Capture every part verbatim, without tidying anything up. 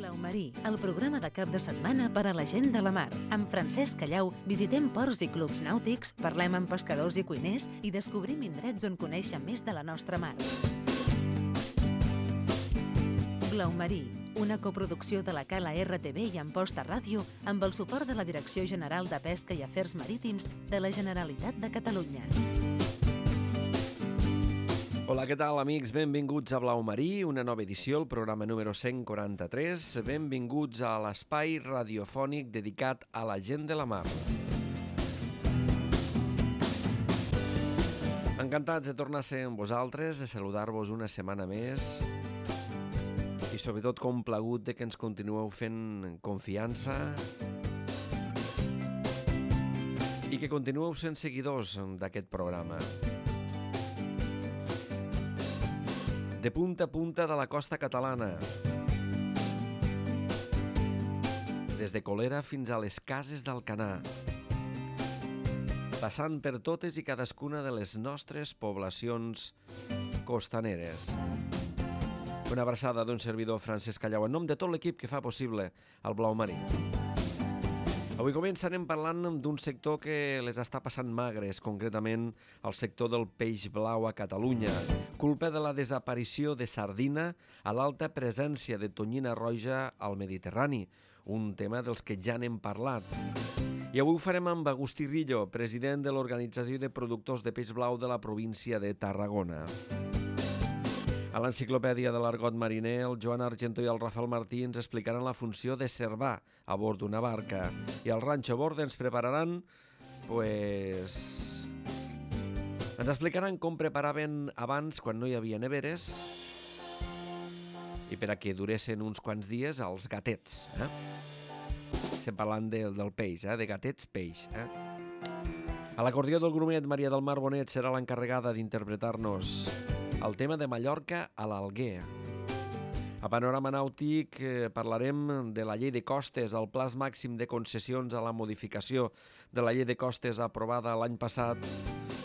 Blau Marí, el programa de cap de setmana per a la gent de la mar. Amb Francesc Callau visitem ports i clubs nàutics, parlem amb pescadors i cuiners i descobrim indrets on conèixer més de la nostra mar. Blau Marí, una coproducció de la Cala R T V i Amposta Ràdio amb el suport de la Direcció General de Pesca i Afers Marítims de la Generalitat de Catalunya. Hola, què tal, amics? Benvinguts a Blau Marí, una nova edició, el programa número cent quaranta-tres. Benvinguts a l'espai radiofònic dedicat a la gent de la mar. Encantats de tornar a ser amb vosaltres, de saludar-vos una setmana més i sobretot complagut de que ens continueu fent confiança i que continueu sent seguidors d'aquest programa. De punta a punta de la costa catalana, des de Colera fins a les cases d'Alcanar, passant per totes i cadascuna de les nostres poblacions costaneres. Una abraçada d'un servidor, Francesc Callau, en nom de tot l'equip que fa possible el Blau Marí. Avui començarem parlant d'un sector que les està passant magres, concretament el sector del peix blau a Catalunya, culpa de la desaparició de sardina a l'alta presència de tonyina roja al Mediterrani, un tema dels que ja n'hem parlat. I avui ho farem amb Agustí Rillo, president de l'Organització de Productors de Peix Blau de la província de Tarragona. A l'enciclopèdia de l'argot mariner, el Joan Argentó i el Rafael Martí ens explicaran la funció de servar a bord d'una barca. I al Ranxo a bord ens prepararan, pues... ens explicaran com preparaven abans, quan no hi havia neveres, i per a que duressin uns quants dies, els gatets. Eh? Estem parlant de, del peix, eh? De gatets, peix. Eh? A l'acordió del grumet, Maria del Mar Bonet serà l'encarregada d'interpretar-nos el tema de Mallorca a l'Alguer. A Panorama Nàutic eh, parlarem de la llei de costes, el plaç màxim de concessions a la modificació de la llei de costes aprovada l'any passat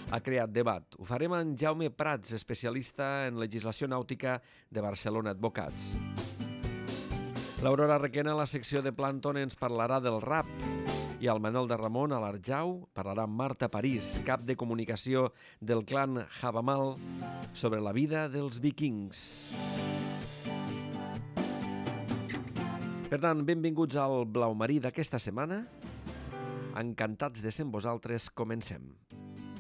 ha creat debat. Ho farem amb Jaume Prats, especialista en legislació nàutica de Barcelona Advocats. L'Aurora Requena, a la secció de plàncton, ens parlarà del rap. I el Manol de Ramon, a l'Arjau, parlarà amb Marta París, cap de comunicació del clan Havamal, sobre la vida dels vikings. Per tant, benvinguts al Blau Marí d'aquesta setmana. Encantats de ser amb vosaltres, comencem.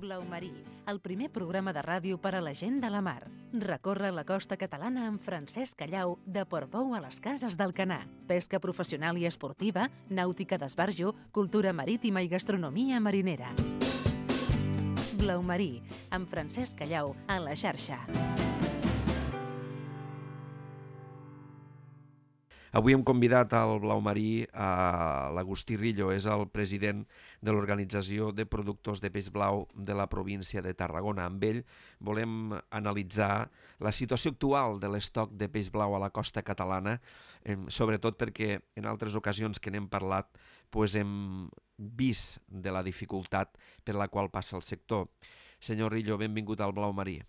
Blau Marí, el primer programa de ràdio per a la gent de la mar. Recorre la costa catalana amb Francesc Callau, de Portbou a les cases d'Alcanar. Pesca professional i esportiva, nàutica d'esbarjo, cultura marítima i gastronomia marinera. Blau Marí, amb Francesc Callau, a la xarxa. Avui hem convidat al Blau Marí a l'Agustí Rillo, és el president de l'Organització de Productors de Peix Blau de la província de Tarragona. Amb ell volem analitzar la situació actual de l'estoc de peix blau a la costa catalana, eh, sobretot perquè en altres ocasions que n'hem parlat pues hem vist de la dificultat per la qual passa el sector. Senyor Rillo, benvingut al Blau Marí.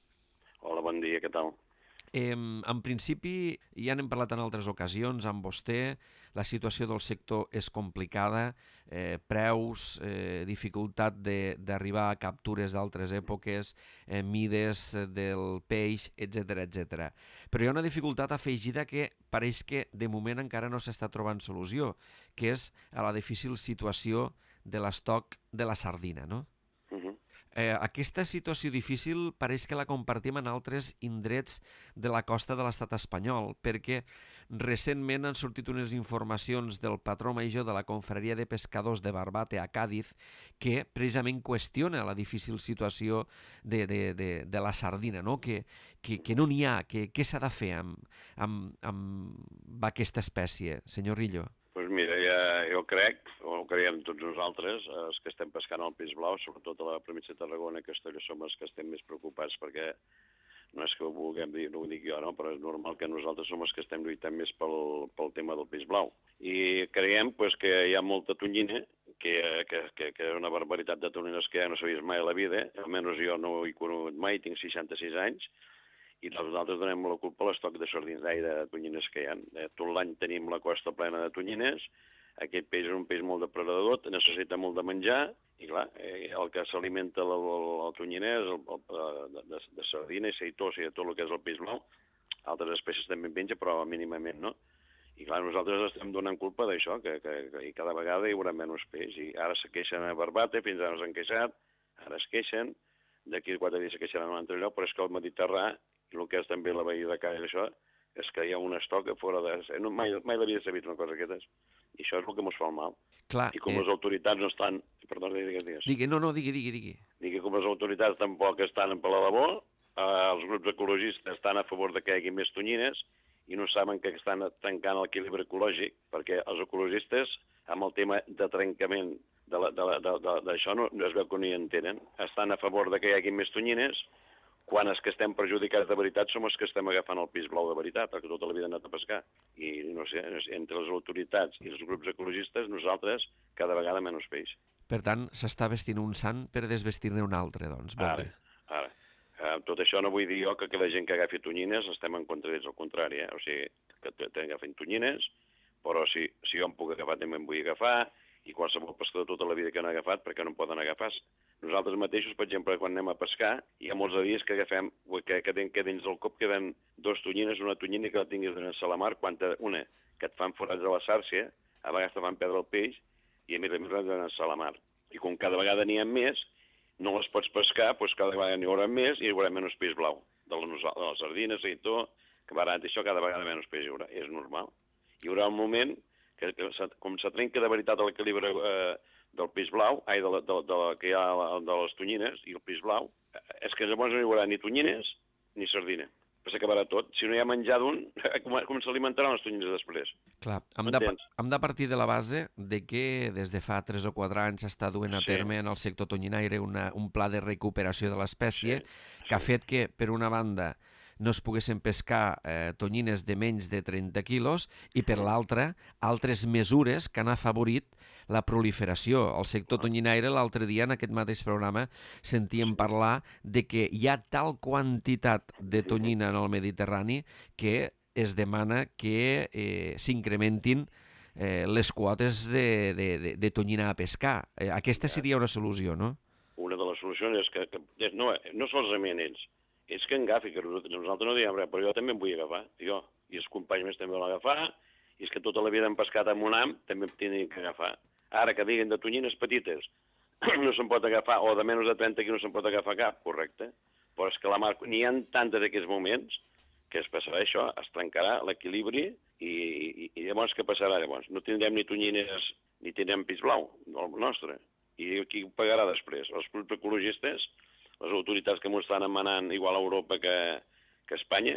Hola, bon dia, què tal? Eh, en principi, ja n'hem parlat en altres ocasions amb vostè, la situació del sector és complicada, eh, preus, eh, dificultat d'arribar a captures d'altres èpoques, eh, mides del peix, etcètera, etcètera. Però hi ha una dificultat afegida que pareix que de moment encara no s'està trobant solució, que és a la difícil situació de l'estoc de la sardina, no? Eh, aquesta situació difícil pareix que la compartim en altres indrets de la costa de l'estat espanyol, perquè recentment han sortit unes informacions del patró major de la Confraria de Pescadors de Barbate a Càdiz que precisament qüestiona la difícil situació de, de, de, de la sardina, no? que, que, que no n'hi ha, que què s'ha de fer amb, amb, amb aquesta espècie, senyor Rillo? Doncs pues mira, ja, jo crec, o ho creiem tots nosaltres, els que estem pescant el peix blau, sobretot a la província de Tarragona i Castelló, som els que estem més preocupats perquè no és que ho vulguem dir, no ho dic jo, no? Però és normal que nosaltres som els que estem lluitant més pel, pel tema del peix blau. I creiem pues, que hi ha molta tonyina, que, que, que, que és una barbaritat de tonyines que ja no s'ha vist mai a la vida, almenys jo no ho he conegut mai, tinc seixanta-sis anys, i nosaltres donem la culpa a l'estoc de sardines i de tonyines que hi ha. Eh, tot l'any tenim la costa plena de tonyines, aquest peix és un peix molt depredador, necessita molt de menjar, i clar, eh, el que s'alimenta el, el, el tonyiner és el, el, de, de, de sardina i seitós i de tot el que és el peix blau. Altres espècies també en menja, però mínimament no. I clar, nosaltres estem donant culpa d'això, que, que, que cada vegada hi haurà menys peix. I ara se queixen a Barbate, fins ara s'han queixat, ara es queixen, d'aquí quatre dies se queixaran a un altre lloc, però és que el Mediterrani, el que és també la Badia de Calla, això, és que hi ha un estoc a fora de... No, mai, mai l'havia sabut una cosa d'aquestes. I això és el que ens fa el mal. Clar, I com eh... les autoritats no estan... Perdó, digues, digues. Digui, no, no, digui, digui, digui. Digui, com les autoritats tampoc estan per la labor, eh, els grups ecologistes estan a favor de que hi hagi més tonyines i no saben que estan tancant l'equilibri ecològic, perquè els ecologistes, amb el tema de trencament d'això, no, no es veu que no hi entenen. Estan a favor de que hi hagi més tonyines, quan els que estem perjudicats de veritat som els que estem agafant el peix blau de veritat, el que tota la vida han anat a pescar. I, no sé, entre les autoritats i els grups ecologistes, nosaltres, cada vegada menys peix. Per tant, s'està vestint un sant per desvestir-ne un altre, doncs, vol dir. Ara, ara. Uh, tot això no vull dir jo que, que la gent que agafi tonyines estem en contra d'ells, al contrari, eh? O sigui, que t'agafin tonyines, però si, si jo em puc agafar també em vull agafar, i qualsevol pescador tota la vida que han agafat, perquè no en poden agafar. Nosaltres mateixos, per exemple, quan anem a pescar, hi ha molts de dies que agafem, que, que, que dins del cop queden dos tonyines, una tonyina que la tinguis donant-se a la mar, quan te, una que et fan forats a la sàrcia, a vegades te fan perdre el peix, i a més a més donant-se a la mar. I com cada vegada n'hi ha més, no les pots pescar, doncs cada vegada n'hi haurà més i hi haurà menys peix blau. De les, de les sardines i tot, que barat això, cada vegada menys peix hi haurà. És normal. Hi haurà un moment que, que com se trenca de veritat l'equilibri eh, del peix blau, ai, de, la, de, de, la, que hi ha de les tonyines i el peix blau, és que llavors no hi haurà ni tonyines ni sardina. Però s'acabarà tot. Si no hi ha menjar d'un, com, com s'alimentaran les tonyines després? Clar, hem de, hem de partir de la base de que des de fa tres o quatre anys s'està duent a Sí. terme en el sector tonyinaire una, un pla de recuperació de l'espècie Sí, que ha fet que, per una banda, no es poguessin pescar eh, tonyines de menys de trenta quilos i, per l'altra, altres mesures que han afavorit la proliferació. El sector tonyinaire, l'altre dia, en aquest mateix programa, sentíem parlar de que hi ha tal quantitat de tonyina en el Mediterrani que es demana que eh, s'incrementin eh, les quotes de, de, de, de tonyina a pescar. Eh, aquesta seria una solució, no? Una de les solucions és que, que no, no solament ells, és que agafi, que nosaltres no diem res, però jo també em vull agafar, jo, i els companys més també volen agafar, i és que tota la vida hem pescat amb un am, també em tenen que agafar. Ara que diguin de tonyines petites, no se'n pot agafar, o de menys de trenta quilos no se'n pot agafar cap, correcte, però és que la mar, n'hi ha tantes d'aquests moments que es passarà això, es trencarà l'equilibri i, i, i llavors què passarà llavors? No tindrem ni tonyines ni tindrem peix blau, el nostre. I qui ho pagarà després? Els clubs ecologistes, les autoritats que m'ho estan emanant igual a Europa que, que a Espanya,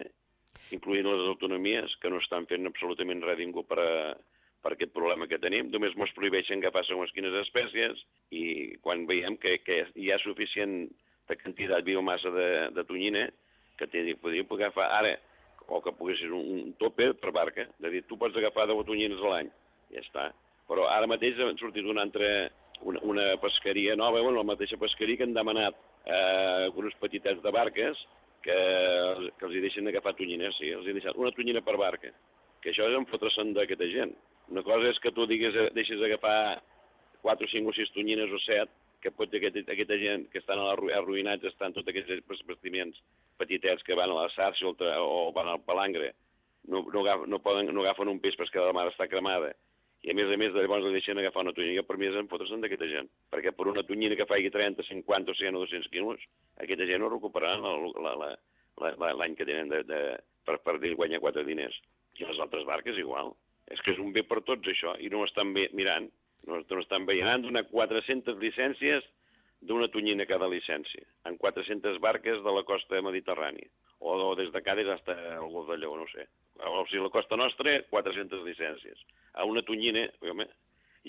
incloent les autonomies, que no estan fent absolutament res ningú per, a, per aquest problema que tenim. Només mos prohibeixen agafar segons quines espècies i quan veiem que, que hi ha suficient de quantitat biomassa de, de tonyina que podríem agafar ara, o que pogués ser un, un tope per barca, de dir, tu pots agafar deu tonyines a l'any, ja està. Però ara mateix ha sortit una altra, una, una pesqueria nova, bueno, la mateixa pesqueria que han demanat eh, uns petitets de barques que, que els hi deixen agafar tonyines, sí, els hi deixat una tonyina per barca, que això és en fotre-se'n d'aquesta gent. Una cosa és que tu digues, deixes agafar quatre, cinc o sis tonyines o set, que pot aquesta, aquesta gent que estan arruïnats, estan tots aquests bastiments petitets que van a la xarxa o van al palangre, no, no, agafen, no, poden, no agafen un peix perquè la mar està cremada. I a més a més, llavors li deixen agafar una tonyina. Per mi és en fotre-se'n d'aquesta gent. Perquè per una tonyina que faci trenta, cinquanta, cent o dos-cents quilos, aquesta gent no recuperaran l'any que tenen de, de, per, per dir guanyar quatre diners. I les altres barques igual. És que és un bé per tots això, i no ho estan mirant. No, no estan veient. Han donat quatre-centes llicències d'una tonyina cada llicència, en quatre-centes barques de la costa mediterrània, o, o des de Cádiz fins al Golf de Lleó, no sé. O sigui, la costa nostra, quatre-centes llicències. A una tonyina, home,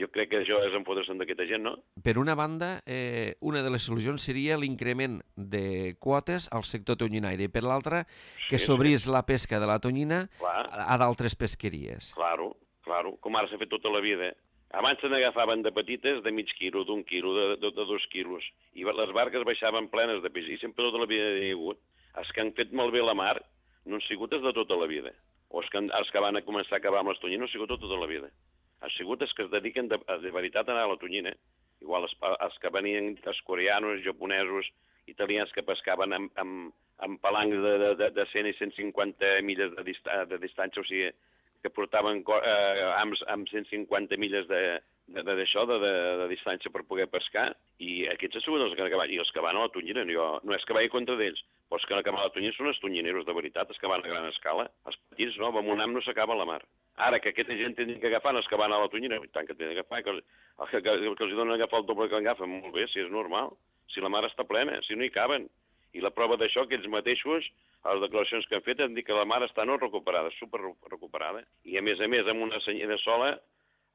jo crec que això és en fotre-se'n d'aquesta gent, no? Per una banda, eh, una de les solucions seria l'increment de quotes al sector tonyinaire, i per l'altra, que Sí, s'obrís sí. la pesca de la tonyina Clar. a, a d'altres pesqueries. Claro, claro, com ara s'ha fet tota la vida. Abans se n'agafaven de petites de mig quilo, d'un quilo, de, de, de dos quilos, i les barques baixaven plenes de peix, i sempre tota la vida hi ha hagut. els que han fet malbé la mar no han sigut els de tota la vida. O els que, els que van a començar a acabar amb les tonyines no han sigut de tota la vida. Han sigut els que es dediquen de, de veritat a anar a la tonyina. Igual els, els que venien, els coreanos, japonesos, italians que pescaven amb, amb, amb palancs de, de, de cent i cent cinquanta milles de, dista, de distància, o sigui, que portaven eh, amb, amb cent cinquanta milles de, de, de, de, de, de, de distància per poder pescar, i aquests han sigut els que han acabat, i els que van a la tonyina, jo, no és que vagi contra d'ells, però els que han acabat a la tonyina són els tonyineros de veritat, els que van a gran escala. Els petits, no, amb un ham no s'acaba a la mar. Ara, que aquesta gent tenen que agafar els que van a la tonyina, i tant que tenen que agafar, que, que, que, que els donen a agafar el doble que agafen, molt bé, si és normal, si la mar està plena, si no hi caben. I la prova d'això, que ells mateixos, a les declaracions que han fet, han dit que la mar està no recuperada, super recuperada. I a més a més, amb una senyera sola,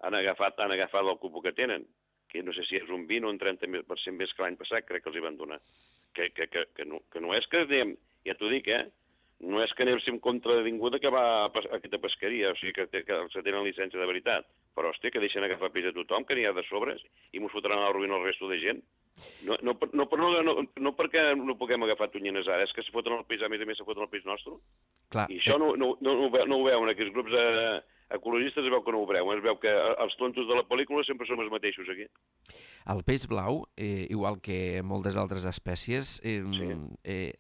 han agafat, han agafat el cupo que tenen, que no sé si és un vint o un trenta per cent més que l'any passat, crec que els hi van donar. Que, que, que, que, no, que no és que anem, ja t'ho dic, eh? No és que anem en contra de ningú que va a, a aquesta pesqueria, o sigui, que, que, que tenen llicència de veritat. Però, hòstia, que deixen agafar peix a tothom, que n'hi ha de sobres, i mos fotran a la ruïna el resto de gent. No, no, no, no, no, no perquè no puguem agafar tonyines ara, és que se foten el peix, a més a més se foten el peix nostre. Clar. I això no, no, no, no, ho veu, no ho veuen, aquests grups eh, ecologistes es veu que no ho veuen, es veu que els tontos de la pel·lícula sempre són els mateixos aquí. El peix blau, eh, igual que moltes altres espècies, eh, sí. eh,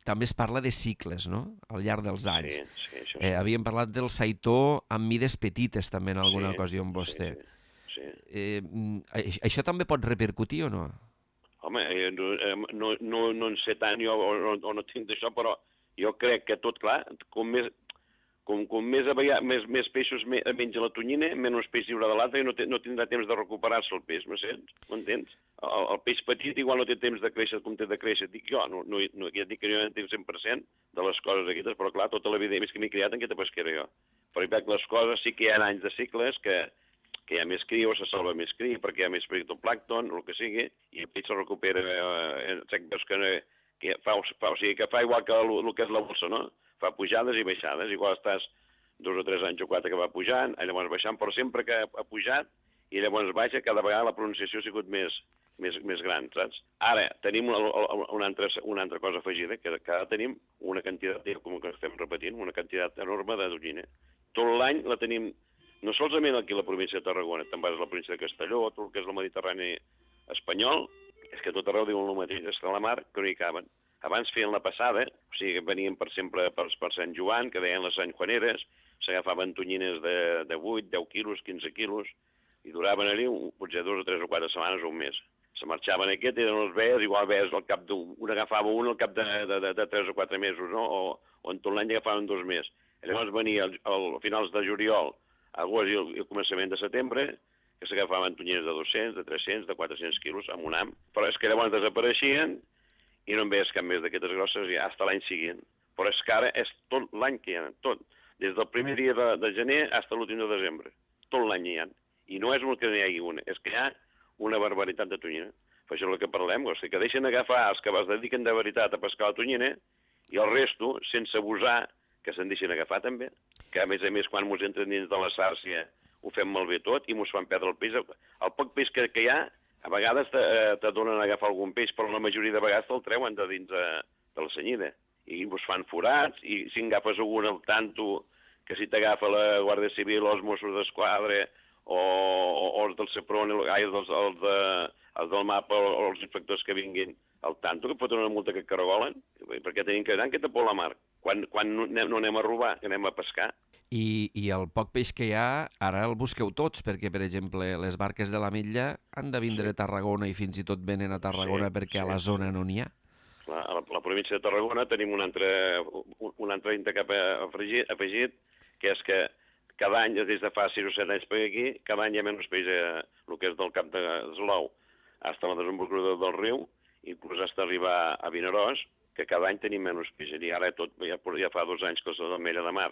també es parla de cicles, no?, al llarg dels anys. Sí, sí, això sí. Eh, havíem parlat del saitó amb mides petites, també, en alguna sí, ocasió amb vostè. Sí, sí. Eh, això també pot repercutir o no? Home, eh, no, no, no en sé tant jo, o, o, o no tinc d'això, però jo crec que tot, clar, com més, com, com més, aveià, més, més peixos me, menja la tonyina, menys peix hi haurà de l'altre i no, te, no tindrà temps de recuperar-se el peix, m'entens? M'entens? El, el peix petit igual no té temps de créixer com té de créixer, dic jo, no, no, no, ja dic que jo no entenc cent per cent de les coses aquestes, però clar, tota la vida més que m'he criat en aquesta pesquera jo. Però hi veig les coses, sí que hi ha anys de cicles que que hi ha més cria o se salva més cria perquè hi ha més fitoplàncton, o el que sigui, i el peix se recupera, eh, veus que, que fa, fa, o sigui, que fa igual que el, el que és la bolsa, no? Fa pujades i baixades, igual estàs dos o tres anys o quatre que va pujant, i llavors baixant, però sempre que ha pujat i llavors baixa, cada vegada la pronunciació ha sigut més, més, més gran, saps? Ara, tenim una, una, altra, una altra cosa afegida, que, que ara tenim una quantitat, com que estem repetint, una quantitat enorme de tonyina. Tot l'any la tenim. No solament aquí a la província de Tarragona, també és la província de Castelló, tot el que és el Mediterrani espanyol, és que tot arreu diuen el mateix, és que a la mar que no hi caben. Abans feien la passada, o sigui, venien per sempre per, per Sant Joan, que deien les Sant Juaneres, s'agafaven tonyines de, de vuit, deu quilos, quinze quilos, i duraven allà potser dos o tres o quatre setmanes o un mes. Se marxaven aquest, eren els veies, igual veies al cap d'un, un agafava un al cap de, de, de, de tres o quatre mesos, no? O, o en tot l'any agafaven dos més. I llavors venia al, al finals de juliol, agost i el, el començament de setembre, que s'agafaven tonyines de dos-cents, de tres-cents, de quatre-cents quilos amb un ham, però és que llavors desapareixien i no en veies cap més d'aquestes grosses ja fins l'any següent. Però és que ara és tot l'any que hi ha, tot. Des del primer dia de, de gener fins l'últim de desembre. Tot l'any hi ha. I no és que n'hi hagi una, és que hi ha una barbaritat de tonyina. Per això és el que parlem, o sigui, que deixen agafar els que es dediquen de veritat a pescar la tonyina i el resto, sense abusar, que se'n deixen agafar també, que a més a més quan mos entren dins de la sàrcia ho fem malbé tot i mos fan perdre el peix. El poc peix que, que hi ha, a vegades te, te donen a agafar algun peix, però la majoria de vegades te'l treuen de dins de, de la senyida. I mos fan forats, i si agafes algun al tanto, que si t'agafa la Guàrdia Civil o els Mossos d'Esquadra o, o, o els del Sepron, ai, els, els, de, els del mapa o, o els inspectors que vinguin al tanto, que foten una multa que caragolen, perquè tenim que anar que tapó la mar. Quan, quan no, no anem a robar, que anem a pescar. I, I el poc peix que hi ha, ara el busqueu tots, perquè, per exemple, les barques de l'Ametlla han de vindre sí. a Tarragona i fins i tot venen a Tarragona sí, perquè sí, a la zona no n'hi ha. Clar, a la, a la província de Tarragona tenim un altre, un, un altre handicap afegit, afegit, que és que cada any, des de fa sis o set anys per aquí, cada any hi ha menys peix a el que és del cap de Slou, fins a la desembocadura del riu, inclús fins a arribar a Vinaròs, que cada any tenim menys peix. I ara tot, ja, ja fa dos anys que els de Mella de Mar,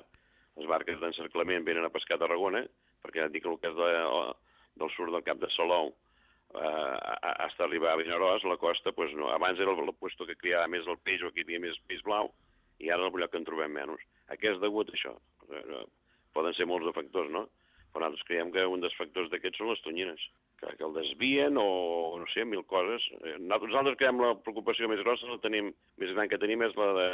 les barques d'encerclament venen a pescar a Tarragona, perquè ja dic que el que és de, del sud del cap de Salou, eh, fins a arribar a Vinaròs, la costa, pues no. Abans era el, el puesto que criava més el peix o que hi havia més peix blau, i ara és el lloc que en trobem menys. A què és degut això? Poden ser molts de factors, no? Però nosaltres creiem que un dels factors d'aquests són les tonyines, que, que el desvien o, no sé, mil coses. Nosaltres, nosaltres creiem la preocupació més grossa, la tenim, més gran que tenim és la de,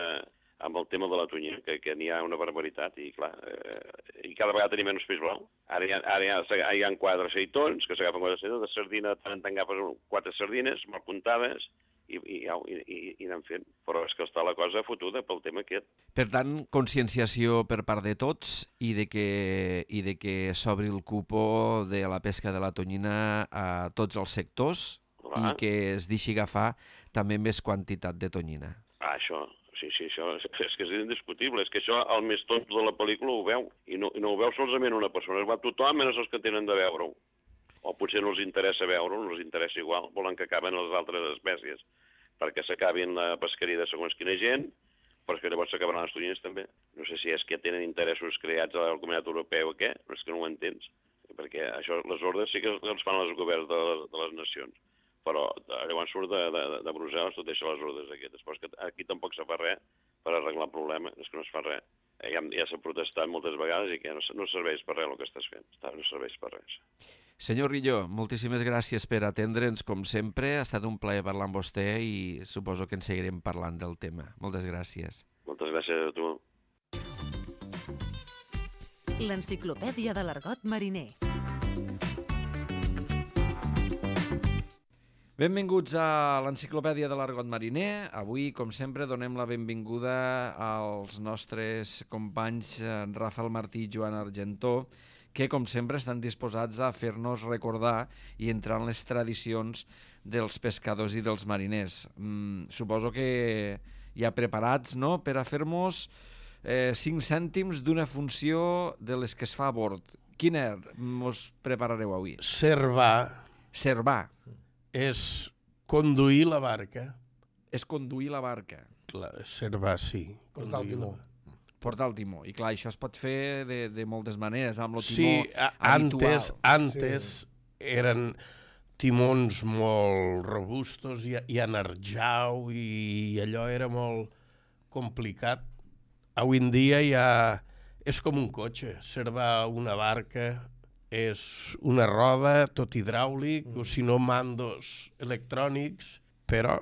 amb el tema de la tonyina, que, que n'hi ha una barbaritat, i clar, eh, i cada vegada tenim menys peix blau. Ara hi ha, ara hi ha, hi ha quatre seitons, que s'agafen quatre seitons, de sardina, tant en tant agafes quatre sardines mal comptades, i, i, i, i, i anem fent. Però és que està la cosa fotuda pel tema aquest. Per tant, conscienciació per part de tots i de que, i de que s'obri el cupo de la pesca de la tonyina a tots els sectors. Clar. I que es deixi agafar també més quantitat de tonyina. Ah, això, sí, sí, això és, és que és indiscutible. És que això el més tonto de la pel·lícula ho veu. I no, i no ho veu solament una persona, es va tothom menys els que tenen de veure-ho. O potser no els interessa veure-ho, no els interessa igual, volen que acaben les altres espècies, perquè s'acabin la pesqueria de segons quina gent, però que llavors s'acabaran les tonyines també. No sé si és que tenen interessos creats a la Comunitat Europea o què, però és que no ho entens, perquè això, les ordres sí que els fan els governs de, de les nacions, però llavors surt de, de, de Brussel·les tot deixa les ordres aquestes, però és que aquí tampoc se fa res per arreglar el problema, és que no es fa res. Ja, ja s'ha protestat moltes vegades i que no, no serveix per res el que estàs fent, no serveix per res. Senyor Rillo, moltíssimes gràcies per atendre'ns, com sempre. Ha estat un plaer parlar amb vostè i suposo que en seguirem parlant del tema. Moltes gràcies. Moltes gràcies a tu. L'Enciclopèdia de l'Argot Mariner. Benvinguts a l'Enciclopèdia de l'Argot Mariner. Avui, com sempre, donem la benvinguda als nostres companys Rafael Martí i Joan Argentó, que, com sempre, estan disposats a fer-nos recordar i entrar en les tradicions dels pescadors i dels mariners. Mm, suposo que ja preparats, no?, per a fer-nos eh, cinc cèntims d'una funció de les que es fa a bord. Quina mos preparareu avui? Servar. Servar. És conduir la barca. És conduir la barca. Clar, servar, sí. Portar el timó. Portar el timó. I clar, això es pot fer de, de moltes maneres, amb el timó sí, habitual. Antes, antes sí. Eren timons molt robustos i, i en arjau i allò era molt complicat. Avui en dia ja és com un cotxe. Servar una barca és una roda, tot hidràulic, mm. o si no mandos electrònics, però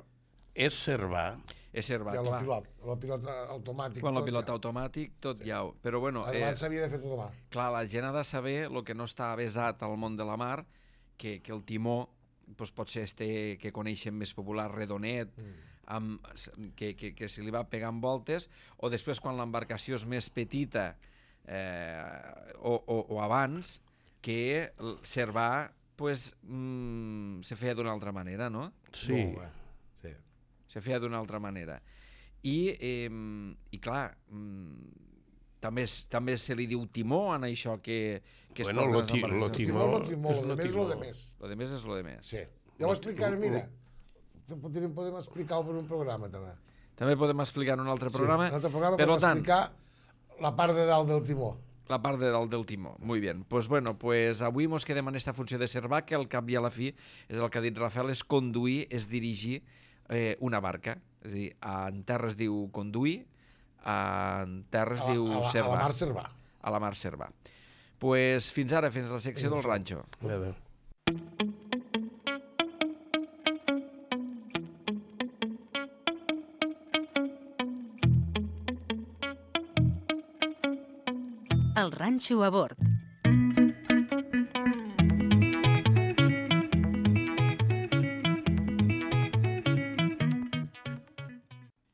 és servar. És servar, ja, clar. El pilot, el pilot automàtic. Quan el pilot ja. automàtic, tot ja. ja. Però bueno... Abans eh, s'havia de fer tot a mà. Clar, la gent ha de saber el que no està avesat al món de la mar, que, que el timó doncs, pot ser este que coneixem més popular, redonet, mm. amb, que, que, que se li va pegant voltes, o després quan l'embarcació és més petita eh, o, o, o abans, que servar pues, mm, se feia d'una altra manera, no? Sí. No, sí. Se feia d'una altra manera. I, eh, i clar, mm, també, també se li diu timó en això que, que bueno, es porta les lo timó, lo timó, lo de més, lo de més. Lo de més és lo de més. Sí. Ja ho explicaré, mira. Podem, podem explicar-ho per un programa, també. També podem explicar en un altre programa. Sí, en un altre programa per podem tant, explicar la part de dalt del timó. La part de dalt del timó. Muy bien. Pues bueno, pues avui mos quedem en esta funció de servar, que al cap i a la fi, és el que ha dit Rafael, és conduir, és dirigir eh, una barca. És a dir, en terra es diu conduir, en terra es a, diu a la, servar. A la mar servar. A la mar servar. Pues fins ara, fins a la secció del ranxo. Adéu. El ranxo a bord.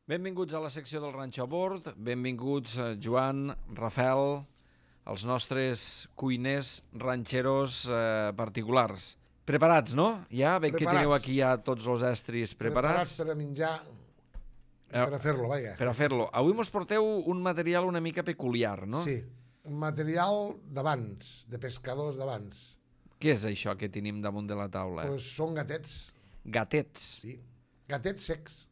Benvinguts a la secció del ranxo a bord, benvinguts Joan, Rafael, els nostres cuiners ranxeros eh, particulars. Preparats, no? Ja, veig que teniu aquí ja tots els estris preparats. Preparats per a menjar, eh, per a fer-lo, vaja. Per a fer-lo. Avui mos porteu un material una mica peculiar, no? Sí, un material d'abans, de pescadors d'abans. Què és això que tenim damunt de la taula? Pues són gatets. Gatets. Sí, gatets secs.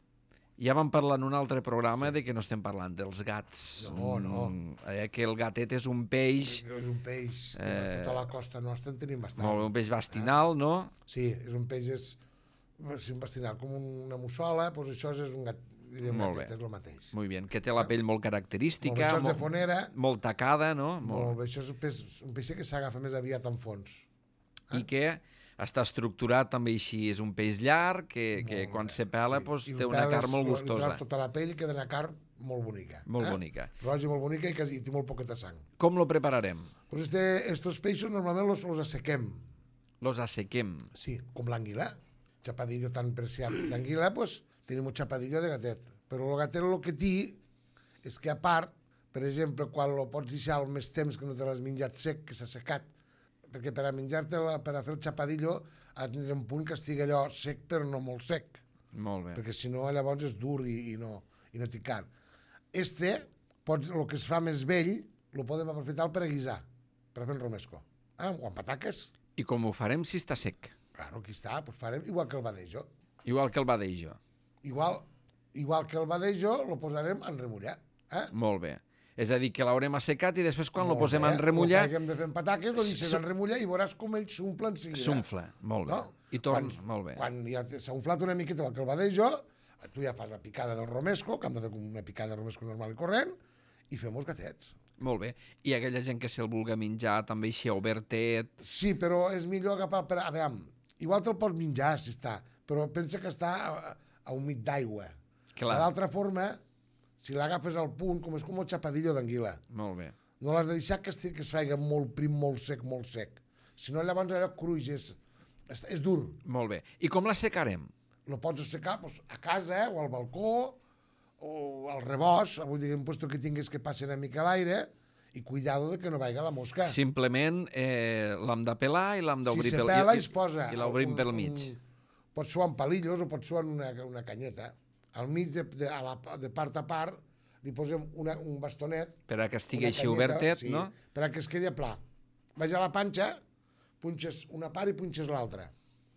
Ja vam parlar en un altre programa sí. de que no estem parlant dels gats. No, no. Eh, que el gatet és un peix... És un peix, que eh... per tota la costa nostra en tenim bastant. Molt, un peix bastinal, eh? No? Sí, és un peix és, és bastinal, com una mussola, doncs això és un gat, i amb Molt bé. gatet és el mateix. Molt bé, que té la pell molt característica, Molt bé, això és de molt, fonera. molt tacada, no? Molt bé, això és un peix, un peix que s'agafa més aviat en fons. I que està estructurat també així, és un peix llarg, que, que quan se pela sí. pues, I té el una pèl carn és- molt li gustosa. trau tota la pell i queda una carn molt bonica. Molt eh? bonica. Roja i molt bonica i, quasi, i té molt poqueta sang. Com lo prepararem? Pues este, estos peixos normalment los, los assequem. Los assequem. Sí, com l'anguila. Chapadillo tan preciat d'anguila, pues tenim un chapadillo de gatet. Però el gatet el que té és que a part, per exemple, quan lo pots deixar al més temps que no te l'has menjat sec, que s'ha secat, perquè per a menjar-te, per a fer el chapadillo, has de tenir un punt que estigui allò sec però no molt sec, Molt bé. perquè si no llavors és dur i, i no, i no té carn. Este, pot, el que es fa més vell, lo podem aprofitar per a guisar, per a fer el romesco. Ah, o amb pataques. I com ho farem si està sec? Claro, aquí està, pues farem igual que el badejo. Igual que el badejo. Igual, igual que el badejo, lo posarem en remullar. Eh? Molt bé. És a dir, que l'haurem assecat i després quan lo Molt posem bé. en remullar... El que haguem de fer en pataques, lo deixes Su- en remullar i veuràs com ell s'omple en seguida. S'unfla, molt bé. No? I torn, Quan- molt bé. Quan ja s'ha umflat una miqueta igual que el badejo, tu ja fas la picada del romesco, que hem de fer com una picada de romesco normal i corrent, i fem els gatets. Molt bé. I aquella gent que se'l vulga menjar també així obertet... Sí, però és millor agafar... Per, a veure, igual te'l pots menjar si està, però pensa que està a, a un mit d'aigua. Clar. De l'altra forma, si l'agafes al punt, com és com el chapadillo d'anguila, Molt bé. no l'has de deixar que, esti- que es faci molt prim, molt sec, molt sec. Si no, llavors allò cruix, és, és, és dur. Molt bé. I com l'assecarem? Lo pots assecar pues, a casa, eh, o al balcó, o al rebost, vull dir, un puesto que tinguis que passi una mica a l'aire, i cuidado de que no vagi la mosca. Simplement eh, l'hem de pelar i l'hem Si d'obrir se pel... pela i- i es posa... I l'obrim un- pel mig. un- Pot suar en palillos o pot suar en una, una canyeta. Al mig, de, de, a la, de part a part, li posem una, un bastonet. Per a que estigui una així canyeta, obertet, sí, no? Per a que es quedi pla. Vaig a la panxa, punxes una part i punxes l'altra.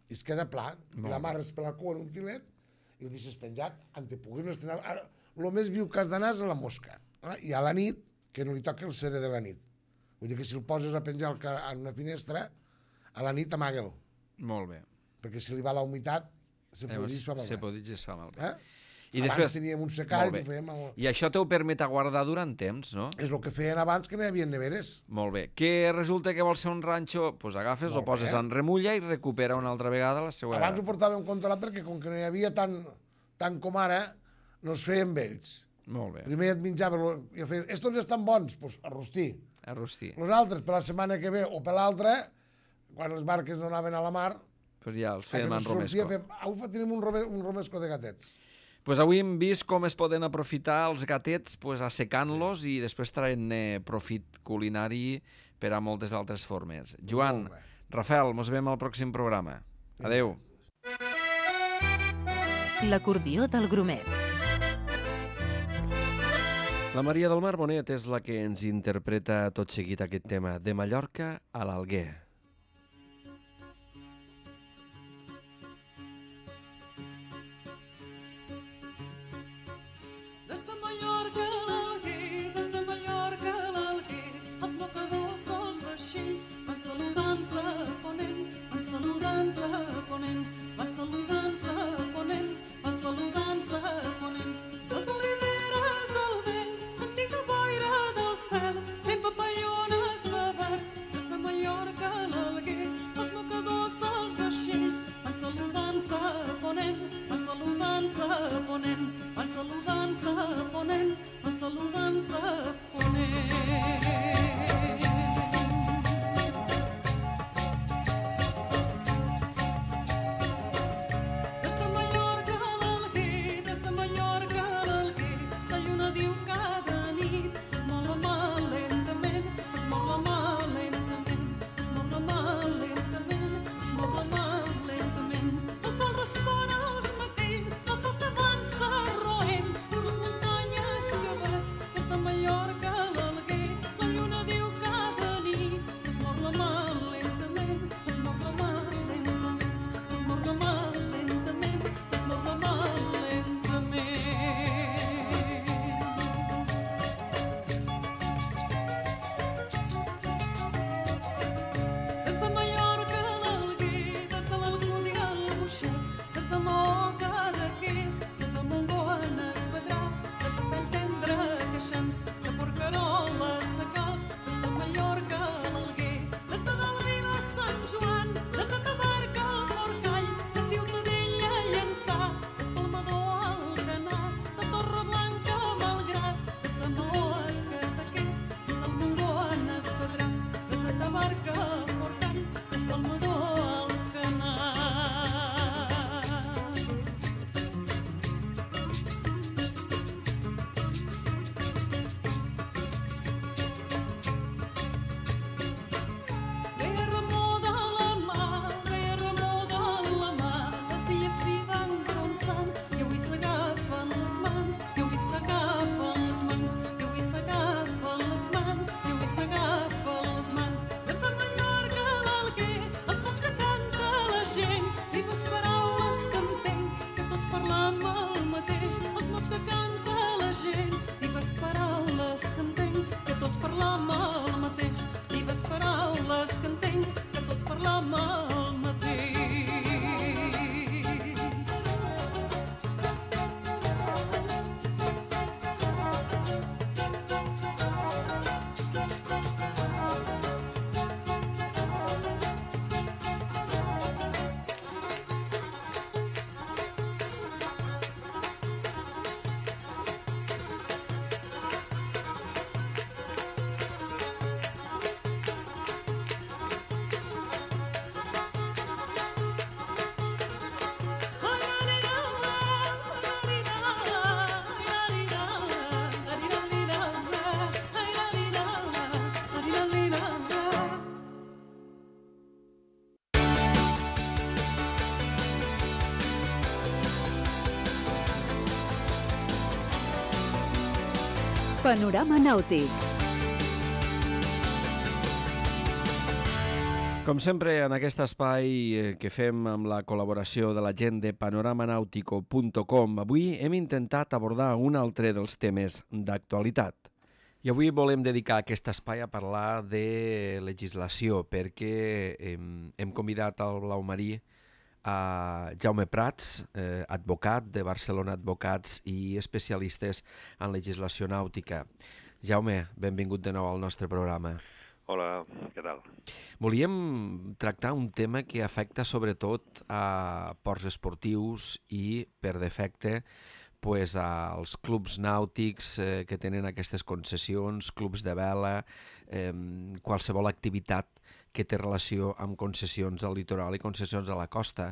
I es queda pla. I Molt l'amarres per la cua en un filet i el deixes penjat. En te puguis no estrenar... Ara, el més viu que has d'anar és a la mosca. Eh? I a la nit, que no li toqui el cere de la nit. Vull dir que si el poses a penjar al ca- en una finestra, a la nit amaga'l. Molt bé. Perquè si li va la humitat, se Llavors, podria es fa se malbé. podria es fa malbé. Eh? I abans després... teníem un secall, Molt bé. ho fèiem amb... I això t'ho permet a guardar durant temps, no? És el que feien abans, que no hi havia neveres. Molt bé. Que resulta que vols ser un ranxo, doncs pues agafes, Molt ho poses bé. en remulla i recupera una altra vegada la seva... Abans ho portàvem controlat perquè com que no hi havia tant, tant com ara, no es feien vells. Molt bé. Primer et menjava, i jo feia, estos ja estan bons, doncs a rostir. A rostir. Els altres, per la setmana que ve o per l'altra, quan les barques no anaven a la mar, Pues ja els a que fèiem no en sortia, romesco. fem, au, tenim un, rome, un romesco de gatets. Pues avui hem vist com es poden aprofitar els gatets pues, assecant-los sí. i després traient-ne profit culinari per a moltes altres formes. Joan, Molt bé. Rafael, mos veiem al pròxim programa. Adeu. L'acordió del Grumet. La Maria del Mar Bonet és la que ens interpreta tot seguit aquest tema, de Mallorca a l'Alguer. Des de Mallorca a l'Alguer, des de Mallorca a l'Alguer, els mocadors dels vaixells van saludant-se a ponent, van saludant-se a ponent, van saludant-se a ponent, van saludant-se a ponent. Les oliveres al vent, antiga boira del cel, fent papallones de verds. Des de Mallorca a l'Alguer, els mocadors dels vaixells van saludant-se a ponent, van saludant-se a ponent, van saludant-se a ponent, van saludant-se a ponent. demà al matí. Panorama Nàutic. Com sempre, en aquest espai eh, que fem amb la col·laboració de la gent de panoramanautico punt com, avui hem intentat abordar un altre dels temes d'actualitat. I avui volem dedicar aquest espai a parlar de legislació, perquè hem, hem convidat al Blau Marí a Jaume Prats, eh, advocat de Barcelona Advocats i especialistes en legislació nàutica. Jaume, benvingut de nou al nostre programa. Hola, què tal? Volíem tractar un tema que afecta sobretot a ports esportius i, per defecte, pues, als clubs nàutics eh, que tenen aquestes concessions, clubs de vela, eh, qualsevol activitat que té relació amb concessions al litoral i concessions a la costa,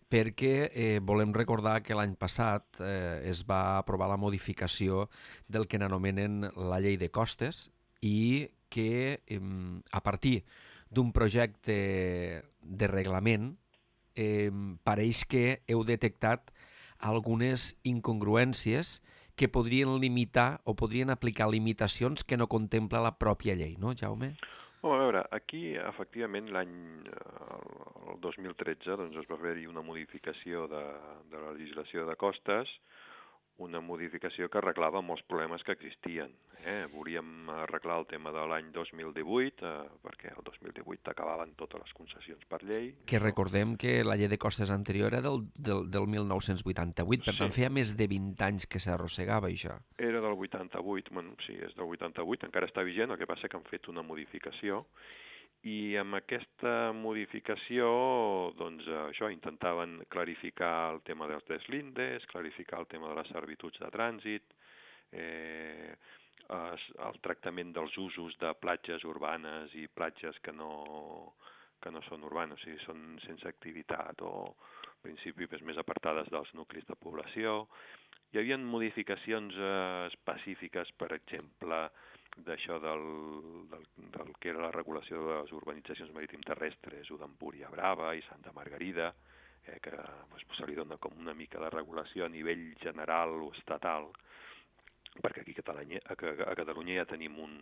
perquè eh, volem recordar que l'any passat eh, es va aprovar la modificació del que n'anomenen la llei de costes i que eh, a partir d'un projecte de reglament eh, pareix que heu detectat algunes incongruències que podrien limitar o podrien aplicar limitacions que no contempla la pròpia llei, no, Jaume? Bueno, a veure, aquí, efectivament, l'any el dos mil tretze doncs, es va haver-hi una modificació de, de la legislació de costes, una modificació que arreglava molts problemes que existien. Eh? Volíem arreglar el tema de l'any dos mil divuit, eh, perquè el dos mil divuit acabaven totes les concessions per llei. Que recordem que la llei de costes anterior era del, del, del mil nou-cents vuitanta-vuit, per Sí. tant feia més de vint anys que s'arrossegava això. Era del vuitanta-vuit, bueno, sí, és del vuitanta-vuit, encara està vigent, el que passa que han fet una modificació, i amb aquesta modificació, doncs, això, intentaven clarificar el tema dels deslindes, clarificar el tema de les servituds de trànsit, eh, es, el tractament dels usos de platges urbanes i platges que no, que no són urbanes, o sigui, són sense activitat o, en principi, més apartades dels nuclis de població. Hi havia modificacions eh, específiques, per exemple, d'això del, del, del que era la regulació de les urbanitzacions marítim terrestres, o d'Empúria Brava i Santa Margarida, eh, que pues, se li dona com una mica de regulació a nivell general o estatal, perquè aquí a Catalunya, a, a Catalunya ja tenim un,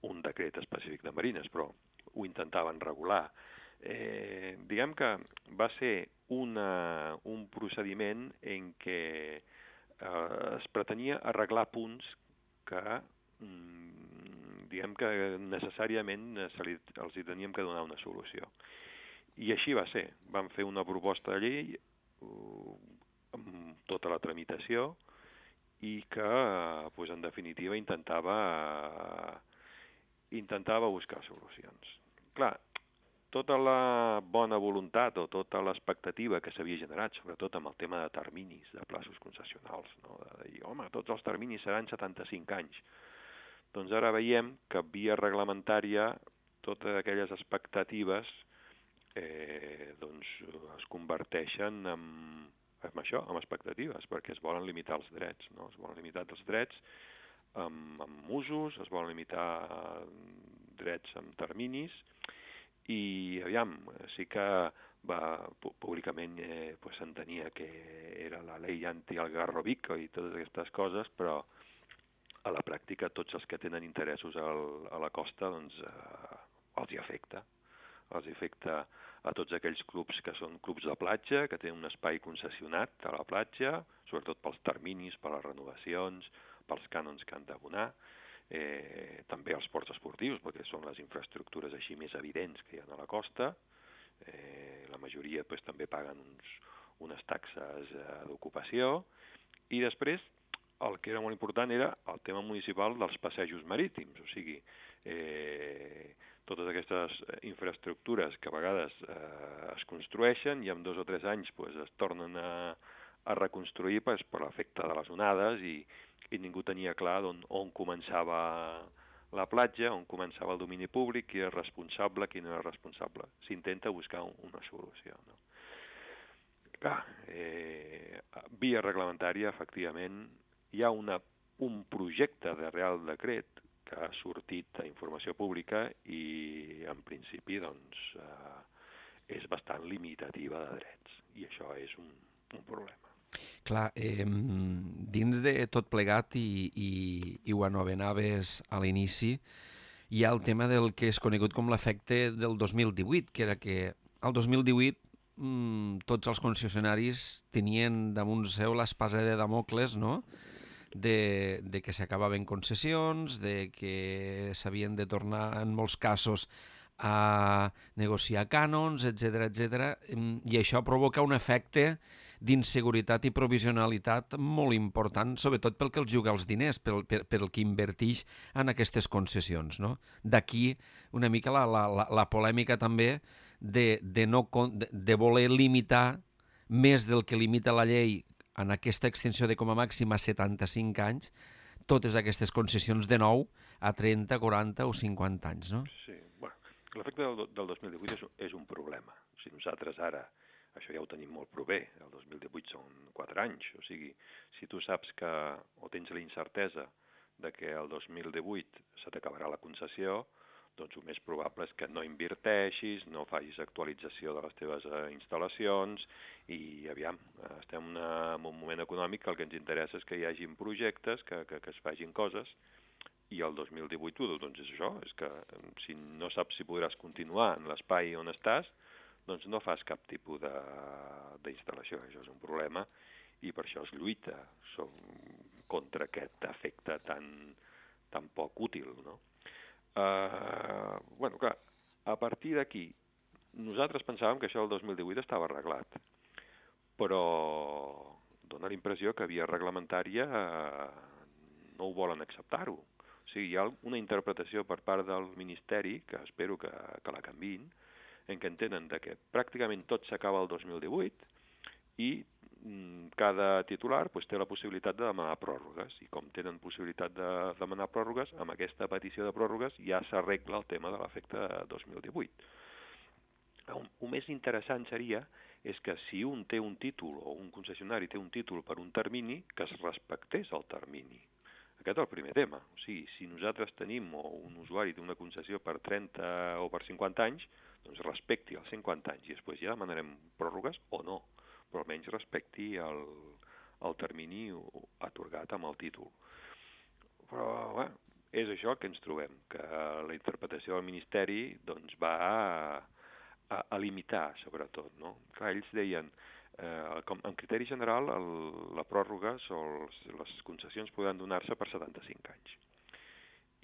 un decret específic de marines, però ho intentaven regular. Eh, diguem que va ser una, un procediment en què eh, es pretenia arreglar punts que diguem que necessàriament se li, els hi teníem que donar una solució. I així va ser. Vam fer una proposta de llei uh, amb tota la tramitació i que, uh, pues, en definitiva, intentava, uh, intentava buscar solucions. Clar, tota la bona voluntat o tota l'expectativa que s'havia generat, sobretot amb el tema de terminis, de plaços concessionals, no? De dir, home, tots els terminis seran setanta-cinc anys. Doncs ara veiem que via reglamentària totes aquelles expectatives eh, doncs, es converteixen en, en això, en expectatives, perquè es volen limitar els drets, no? Es volen limitar els drets amb, amb usos, es volen limitar drets amb terminis, i aviam, sí que va, públicament eh, pues, s'entenia que era la llei anti-algarrobico i totes aquestes coses, però a la pràctica tots els que tenen interessos al, a la costa doncs, eh, els hi afecta. Els afecta a tots aquells clubs que són clubs de platja, que tenen un espai concessionat a la platja, sobretot pels terminis, per les renovacions, pels cànons que han d'abonar, eh, també els ports esportius, perquè són les infraestructures així més evidents que hi ha a la costa, Eh, la majoria pues, també paguen uns, unes taxes eh, d'ocupació, i després el que era molt important era el tema municipal dels passejos marítims, o sigui, eh, totes aquestes infraestructures que a vegades eh, es construeixen i en dos o tres anys pues, es tornen a, a reconstruir pues, per l'efecte de les onades i, i ningú tenia clar on, on començava la platja, on començava el domini públic, qui era responsable, qui no era responsable. S'intenta buscar un, una solució. No? Clar, eh, via reglamentària, efectivament, hi ha una, un projecte de Real Decret que ha sortit a informació pública i, en principi, doncs, eh, és bastant limitativa de drets. I això és un, un problema. Clar, eh, dins de tot plegat, i, i, i ho anovenaves a l'inici, hi ha el tema del que és conegut com l'efecte del dos mil divuit, que era que el dos mil divuit mmm, tots els concessionaris tenien damunt seu l'espasa de Damocles, no?, de, de que s'acabaven concessions, de que s'havien de tornar, en molts casos, a negociar cànons, etcètera, etcètera, i això provoca un efecte d'inseguretat i provisionalitat molt important, sobretot pel que els juga els diners, pel, per, pel que invertix en aquestes concessions, no? D'aquí una mica la, la, la, la polèmica també de, de, no, de, de voler limitar més del que limita la llei en aquesta extensió de com a màxim a setanta-cinc anys, totes aquestes concessions de nou a trenta, quaranta o cinquanta anys, no? Sí, bueno, l'efecte del, del dos mil divuit és, és un problema. O sigui, nosaltres ara, això ja ho tenim molt prové, el dos mil divuit són quatre anys, o sigui, si tu saps que, o tens la incertesa de que el dos mil divuit se t'acabarà la concessió, doncs el més probable és que no inverteixis, no facis actualització de les teves eh, instal·lacions i, aviam, estem una, en un moment econòmic que el que ens interessa és que hi hagin projectes, que, que, que es facin coses, i el dos mil divuit doncs és això, és que si no saps si podràs continuar en l'espai on estàs, doncs no fas cap tipus d'instal·lació, això és un problema, i per això es lluita som, contra aquest efecte tan, tan poc útil, no? Uh, bueno, clar, a partir d'aquí, nosaltres pensàvem que això del dos mil divuit estava arreglat, però dona la impressió que via reglamentària uh, no ho volen acceptar-ho. O sigui, hi ha una interpretació per part del Ministeri, que espero que, que la canviïn, en què entenen de que pràcticament tot s'acaba el dos mil divuit i cada titular pues, té la possibilitat de demanar pròrrogues, i com tenen possibilitat de demanar pròrrogues, amb aquesta petició de pròrrogues ja s'arregla el tema de l'efecte dos mil divuit. El més interessant seria és que si un té un títol o un concessionari té un títol per un termini, que es respectés el termini. Aquest és el primer tema. O sigui, si nosaltres tenim o un usuari té una concessió per trenta o per cinquanta anys, doncs respecti els cinquanta anys i després ja demanarem pròrrogues o no, però almenys respecti el, el termini atorgat amb el títol. Però, bé, és això que ens trobem, que la interpretació del Ministeri doncs, va a, a, a limitar, sobretot. No? Clar, ells deien, eh, com, en criteri general, el, la pròrroga o els, les concessions poden donar-se per setanta-cinc anys.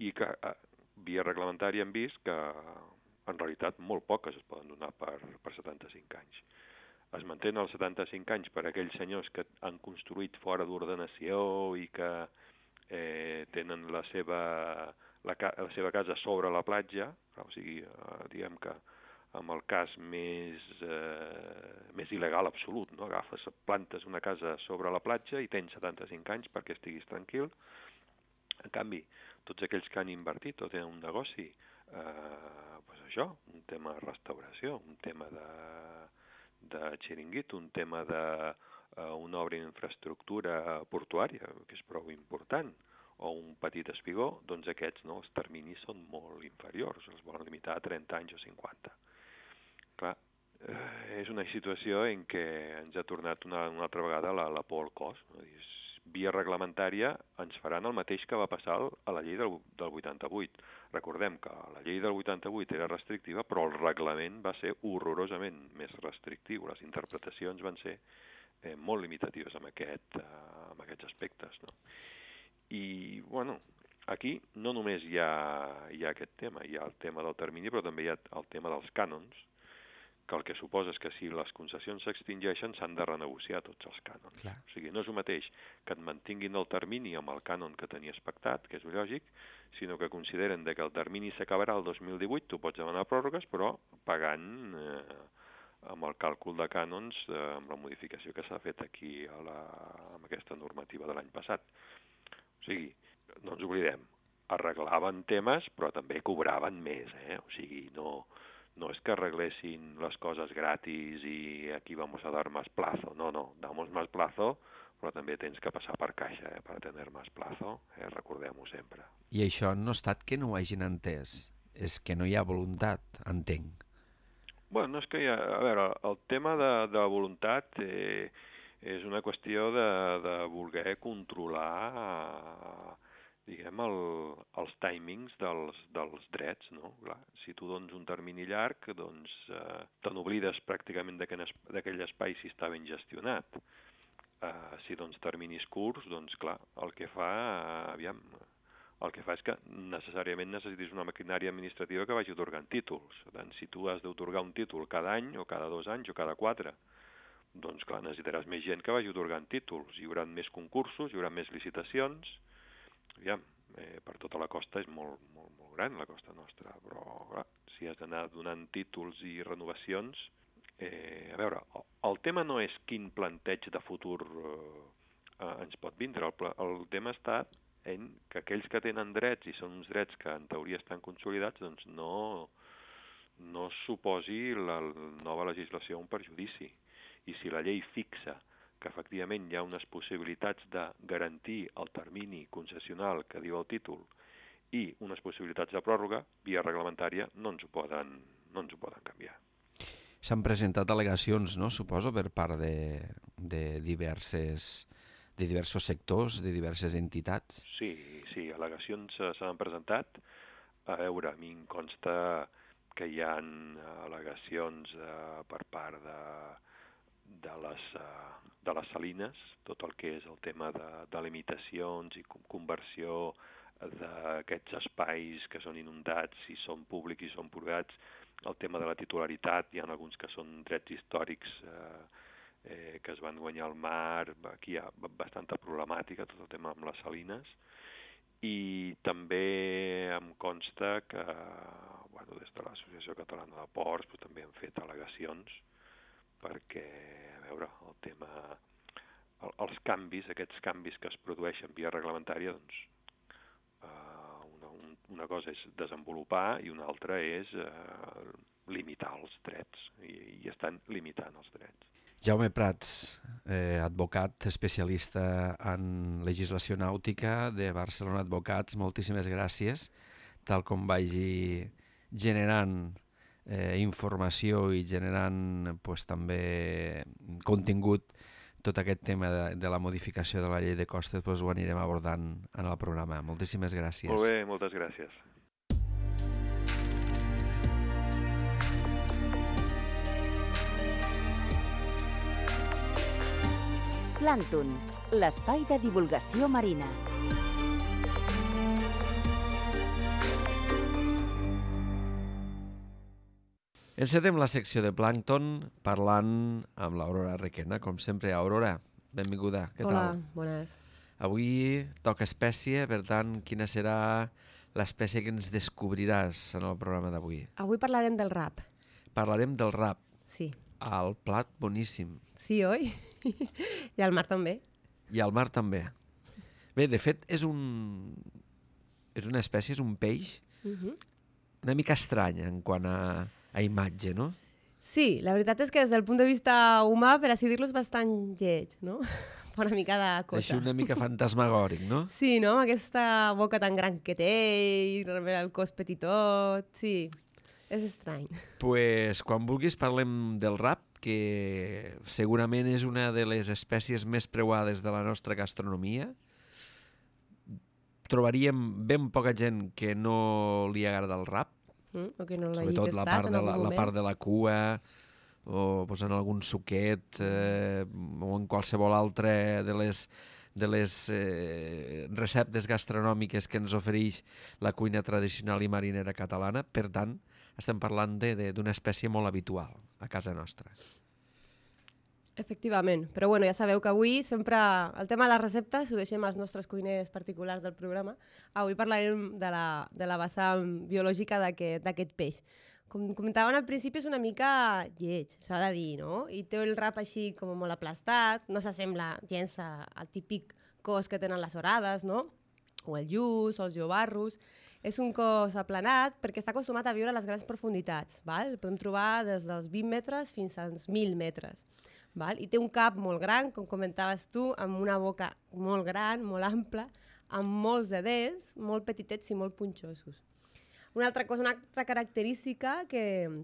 I que eh, via reglamentària hem vist que, en realitat, molt poques es poden donar per, per setanta-cinc anys. Es mantenen els setanta-cinc anys per a aquells senyors que han construït fora d'ordenació i que eh, tenen la seva, la, la seva casa sobre la platja, o sigui, eh, diguem que amb el cas més, eh, més il·legal absolut, no? Agafes, plantes una casa sobre la platja i tens setanta-cinc anys perquè estiguis tranquil. En canvi, tots aquells que han invertit o tenen un negoci, eh, pues això, un tema de restauració, un tema de de xiringuito, un tema d'una uh, obra d'infraestructura portuària, que és prou important, o un petit espigó, doncs aquests no, els terminis són molt inferiors, els volen limitar a trenta anys o cinquanta. Clar, eh, és una situació en què ens ha tornat una, una altra vegada la, la por al cos. No? Via reglamentària ens faran el mateix que va passar a la llei del, del vuitanta-vuit. Recordem que la llei del vuitanta-vuit era restrictiva, però el reglament va ser horrorosament més restrictiu. Les interpretacions van ser eh, molt limitatives en, aquest, eh, en aquests aspectes. No? I, bueno, aquí no només hi ha, hi ha aquest tema, hi ha el tema del termini, però també hi ha el tema dels cànons, que el que suposa és que si les concessions s'extingeixen s'han de renegociar tots els cànons. Clar. O sigui, no és el mateix que et mantinguin el termini amb el cànon que tenies pactat, que és lògic, sinó que consideren que el termini s'acabarà el dos mil divuit, tu pots demanar pròrrogues, però pagant eh, amb el càlcul de cànons, eh, amb la modificació que s'ha fet aquí a la, amb aquesta normativa de l'any passat. O sigui, no ens oblidem, arreglaven temes, però també cobraven més, eh? O sigui, no, no és que arreglessin les coses gratis i aquí vamos a dar más plazo. No, no, damos más plazo, però també tens que passar per caixa eh, per tenir més plazo, eh? Recordem-ho sempre. I això no ha estat que no ho hagin entès, és que no hi ha voluntat, entenc. Bueno, no és que hi ha... A veure, el tema de, de voluntat eh, és una qüestió de, de voler controlar, eh, diguem, el, els timings dels, dels drets, no? Clar, si tu dones un termini llarg, doncs eh, te n'oblides pràcticament d'aquell espai si està ben gestionat. Uh, si dones terminis curts, doncs clar, el que fa, uh, aviam, el que fa és que necessàriament necessitis una maquinària administrativa que vagi atorgant títols. Doncs, si tu has d'atorgar un títol cada any, o cada dos anys, o cada quatre, doncs clar, necessitaràs més gent que vagi atorgant títols. Hi haurà més concursos, hi haurà més licitacions. Aviam, eh, per tota la costa és molt, molt, molt gran, la costa nostra, però clar, si has d'anar donant títols i renovacions, Eh, a veure, el tema no és quin planteig de futur eh, ens pot vindre, el, el tema està en que aquells que tenen drets i són uns drets que en teoria estan consolidats, doncs no, no suposi la nova legislació un perjudici. I si la llei fixa que efectivament hi ha unes possibilitats de garantir el termini concessional que diu el títol i unes possibilitats de pròrroga, via reglamentària, no ens ho poden, no ens ho poden canviar. S'han presentat al·legacions, no?, suposo, per part de, de, diverses, de diversos sectors, de diverses entitats. Sí, sí, al·legacions s'han presentat. A veure, a mi em consta que hi ha al·legacions eh, per part de, de, les, eh, de les salines, tot el que és el tema de, de limitacions i conversió d'aquests espais que són inundats, si són públics i són privats, el tema de la titularitat, hi ha alguns que són drets històrics eh, eh, que es van guanyar al mar, aquí hi ha bastanta problemàtica, tot el tema amb les salines, i també em consta que bueno, des de l'Associació Catalana de Ports pues, també han fet al·legacions perquè, a veure, el tema, el, els canvis, aquests canvis que es produeixen via reglamentària, doncs, una cosa és desenvolupar i una altra és eh, limitar els drets, i, i estan limitant els drets. Jaume Prats, eh, advocat especialista en legislació nàutica de Barcelona Advocats, moltíssimes gràcies, tal com vagi generant eh, informació i generant pues, també contingut tot aquest tema de, de la modificació de la llei de costes doncs ho anirem abordant en el programa. Moltíssimes gràcies. Molt bé, moltes gràcies. Plàncton, l'espai de divulgació marina. Encetem la secció de Plàncton parlant amb l'Aurora Requena. Com sempre, Aurora, benvinguda. Què Hola, tal? bones. Avui toca espècie, per tant, quina serà l'espècie que ens descobriràs en el programa d'avui? Avui parlarem del rap. Parlarem del rap. Sí. El plat boníssim. Sí, oi? I al mar també. I al mar també. Bé, de fet, és un... és una espècie, és un peix Uh-huh. una mica estrany en quant a, a imatge, no? Sí, la veritat és que des del punt de vista humà, per així dir-lo, és bastant lleig, no? Fa una mica de cosa. Així una mica fantasmagòric, no? Sí, no? Amb aquesta boca tan gran que té i el cos petitot, sí. És estrany. Pues, quan vulguis parlem del rap, que segurament és una de les espècies més preuades de la nostra gastronomia. Trobaríem ben poca gent que no li agrada el rap, Mm? O que no l'hagi sobretot tastat la part, en de algun la, la moment. part de la cua, o pues, en algun suquet, eh, o en qualsevol altre de les, de les eh, receptes gastronòmiques que ens ofereix la cuina tradicional i marinera catalana. Per tant, estem parlant de- de- d'una espècie molt habitual a casa nostra. Efectivament, però bueno, ja sabeu que avui sempre el tema de les receptes ho deixem als nostres cuiners particulars del programa. Avui parlarem de la, de la vessant biològica d'aquest d'aquest peix. Com comentaven al principi, és una mica lleig, s'ha de dir, no? I té el rap així com molt aplastat, no s'assembla gens a- al típic cos que tenen les orades, no? O el lluç, o els llobarros. És un cos aplanat perquè està acostumat a viure a les grans profunditats, val? El podem trobar des dels vint metres fins als mil metres. Val? I té un cap molt gran, com comentaves tu, amb una boca molt gran, molt ampla, amb molts de dents, molt petitets i molt punxosos. Una altra cosa, una altra característica que,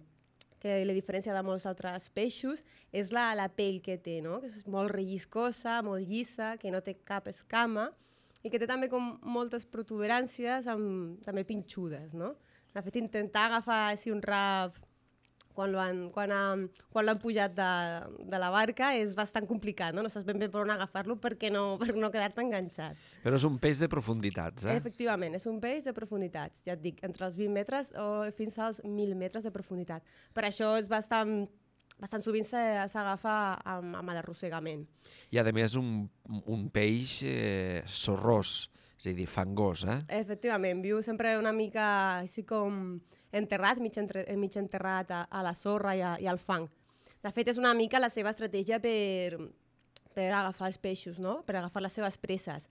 que la diferència de molts altres peixos és la, la pell que té, no? Que és molt relliscosa, molt llisa, que no té cap escama i que té també com moltes protuberàncies amb, també pinxudes, no? De fet, intentar agafar així un rap quan l'han quan han, quan l'han pujat de, de la barca és bastant complicat, no? No saps ben bé per on agafar-lo perquè no, per no quedar-te enganxat. Però és un peix de profunditats, eh? Efectivament, és un peix de profunditats, ja et dic, entre els vint metres o fins als mil metres de profunditat. Per això és bastant, bastant sovint se- s'agafa amb, amb l'arrossegament. I, a més, un, un peix eh, sorrós, és a dir, fangós, eh? Efectivament, viu sempre una mica així com enterrat, mig, entre, mig enterrat a, a la sorra i, a, i al fang. De fet, és una mica la seva estratègia per, per agafar els peixos, no? Per agafar les seves preses.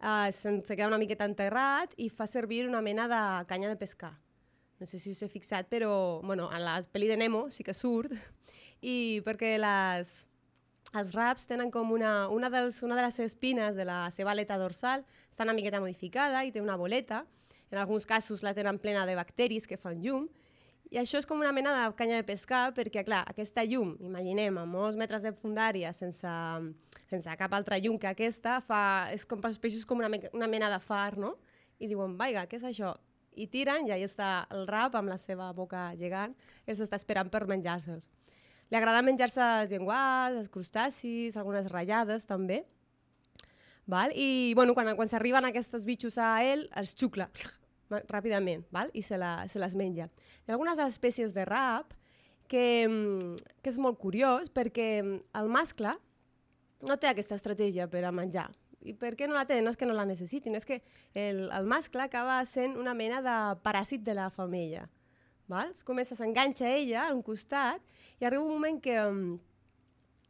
Uh, se queda una miqueta enterrat i fa servir una mena de canya de pescar. No sé si us he fixat, però bueno, en la pel·li de Nemo sí que surt, i perquè les, els raps tenen com una, una, dels, una de les espines de la seva aleta dorsal està una miqueta modificada i té una boleta. En alguns casos la tenen plena de bacteris que fan llum, i això és com una mena de canya de pescar perquè, clar, aquesta llum, imaginem, a molts metres de fundària sense, sense cap altra llum que aquesta, fa, és com pels peixos com una, me- una mena de far, no? I diuen, vaiga, què és això? I tiren i allà està el rap amb la seva boca gegant, els està esperant per menjar-se'ls. Li agrada menjar-se els llenguats, els crustacis, algunes ratllades també. Val? I bueno, quan, quan s'arriben aquests bitxos a ell, els xucla ràpidament, val? I se, la, se les menja. Hi ha algunes de les espècies de rap que, que és molt curiós perquè el mascle no té aquesta estratègia per a menjar. I per què no la té? No és que no la necessitin, és que el, el mascle acaba sent una mena de paràsit de la femella. Val? Es comença, s'enganxa a ella a un costat i arriba un moment que,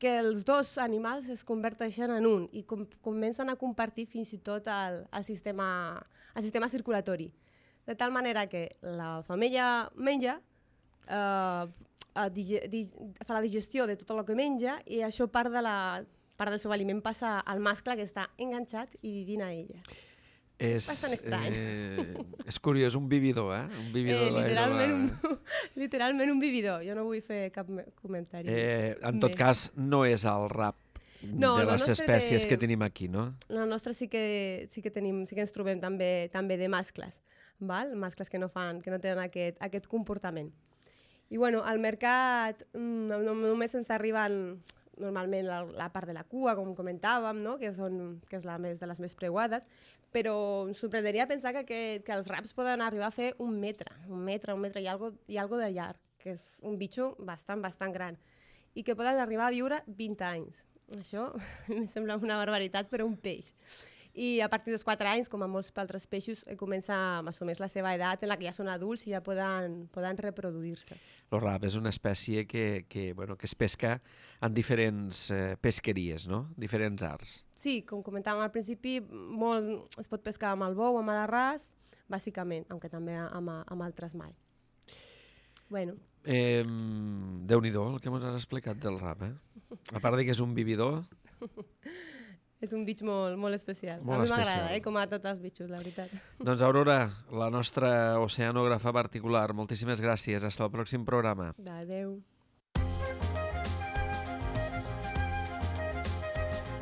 que els dos animals es converteixen en un i com, comencen a compartir fins i tot el, el, sistema, el sistema circulatori. De tal manera que la femella menja, eh, dige, dig, fa la digestió de tot el que menja i això part, de la, part del seu aliment passa al mascle que està enganxat i vivint a ella. És, és bastant estrany. Eh, és curiós, un vividor, eh? Un vividor Eh, literalment, la... un, literalment un vividor. Jo no vull fer cap me- comentari. Eh, en tot més. cas, no és el rap No, de la les nostra espècies té- que tenim aquí, no? La nostra sí que, sí que, tenim, sí que ens trobem també, també de mascles, val? Mascles que no, fan, que no tenen aquest, aquest comportament. I bueno, al mercat mm, no, no, només ens arriben normalment la, la part de la cua, com comentàvem, no? que, són, que és la més, de les més preuades, però ens sorprendria pensar que, que, que els raps poden arribar a fer un metre, un metre, un metre i algo, i algo de llarg, que és un bitxo bastant, bastant gran, i que poden arribar a viure vint anys. Això em sembla una barbaritat per a un peix. I a partir dels quatre anys, com a molts altres peixos, eh, comença a assumir la seva edat en la que ja són adults i ja poden, poden reproduir-se. El rap és una espècie que, que, bueno, que es pesca en diferents eh, pesqueries, no? Diferents arts. Sí, com comentàvem al principi, molt, es pot pescar amb el bou, amb l'arràs, bàsicament, aunque també amb, amb altres mai. Bueno. Eh, Déu-n'hi-do el que ens has explicat del rap, eh? A part de que és un vividor... És un bitx molt, molt especial. Molt a mi especial. m'agrada, eh, com a tots els bitxos, la veritat. Doncs Aurora, la nostra oceanògrafa particular, moltíssimes gràcies. Hasta el pròxim programa. Adéu.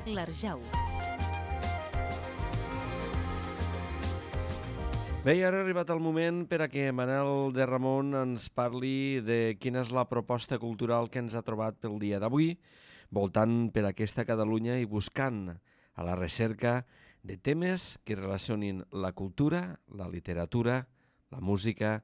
L'Arjau. Bé, i ara ha arribat el moment per a que Manel de Ramon ens parli de quina és la proposta cultural que ens ha trobat pel dia d'avui, voltant per aquesta Catalunya i buscant a la recerca de temes que relacionin la cultura, la literatura, la música,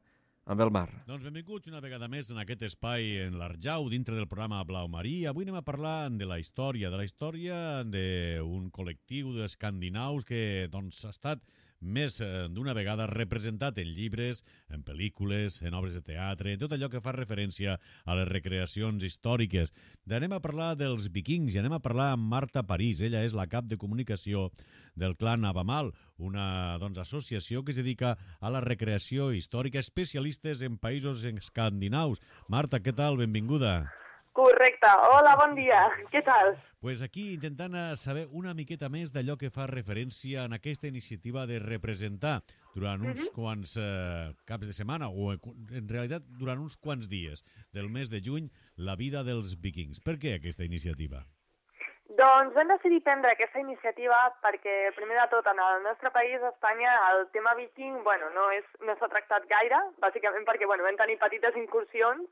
amb el mar. Doncs benvinguts una vegada més en aquest espai en l'Arjau, dintre del programa Blau Marí. Avui anem a parlar de la història, de la història d'un col·lectiu d'escandinaus que doncs, ha estat més d'una vegada representat en llibres, en pel·lícules, en obres de teatre, en tot allò que fa referència a les recreacions històriques. Anem a parlar dels vikings i anem a parlar amb Marta París. Ella és la cap de comunicació del clan Avamal, una doncs, associació que es dedica a la recreació històrica, especialistes en països escandinaus. Marta, què tal? Benvinguda. Correcte. Hola, bon dia. Què tal? Pues aquí intentant saber una miqueta més d'allò que fa referència en aquesta iniciativa de representar durant uns uh -huh. quants eh, caps de setmana, o en realitat durant uns quants dies del mes de juny, la vida dels vikings. Per què aquesta iniciativa? Doncs vam decidir prendre aquesta iniciativa perquè, primer de tot, en el nostre país, Espanya, el tema viking, bueno, no és no s'ha tractat gaire, bàsicament perquè, bueno, vam tenir petites incursions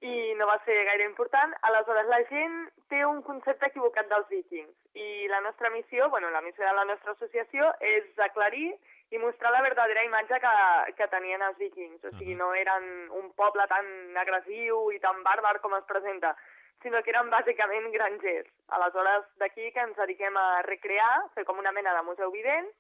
i no va ser gaire important. Aleshores, la gent té un concepte equivocat dels vikings i la nostra missió, bueno, la missió de la nostra associació és aclarir i mostrar la verdadera imatge que, que tenien els vikings. O sigui, no eren un poble tan agressiu i tan bàrbar com es presenta, sinó que eren bàsicament grangers. Aleshores, d'aquí que ens dediquem a recrear, fer com una mena de museu vivent,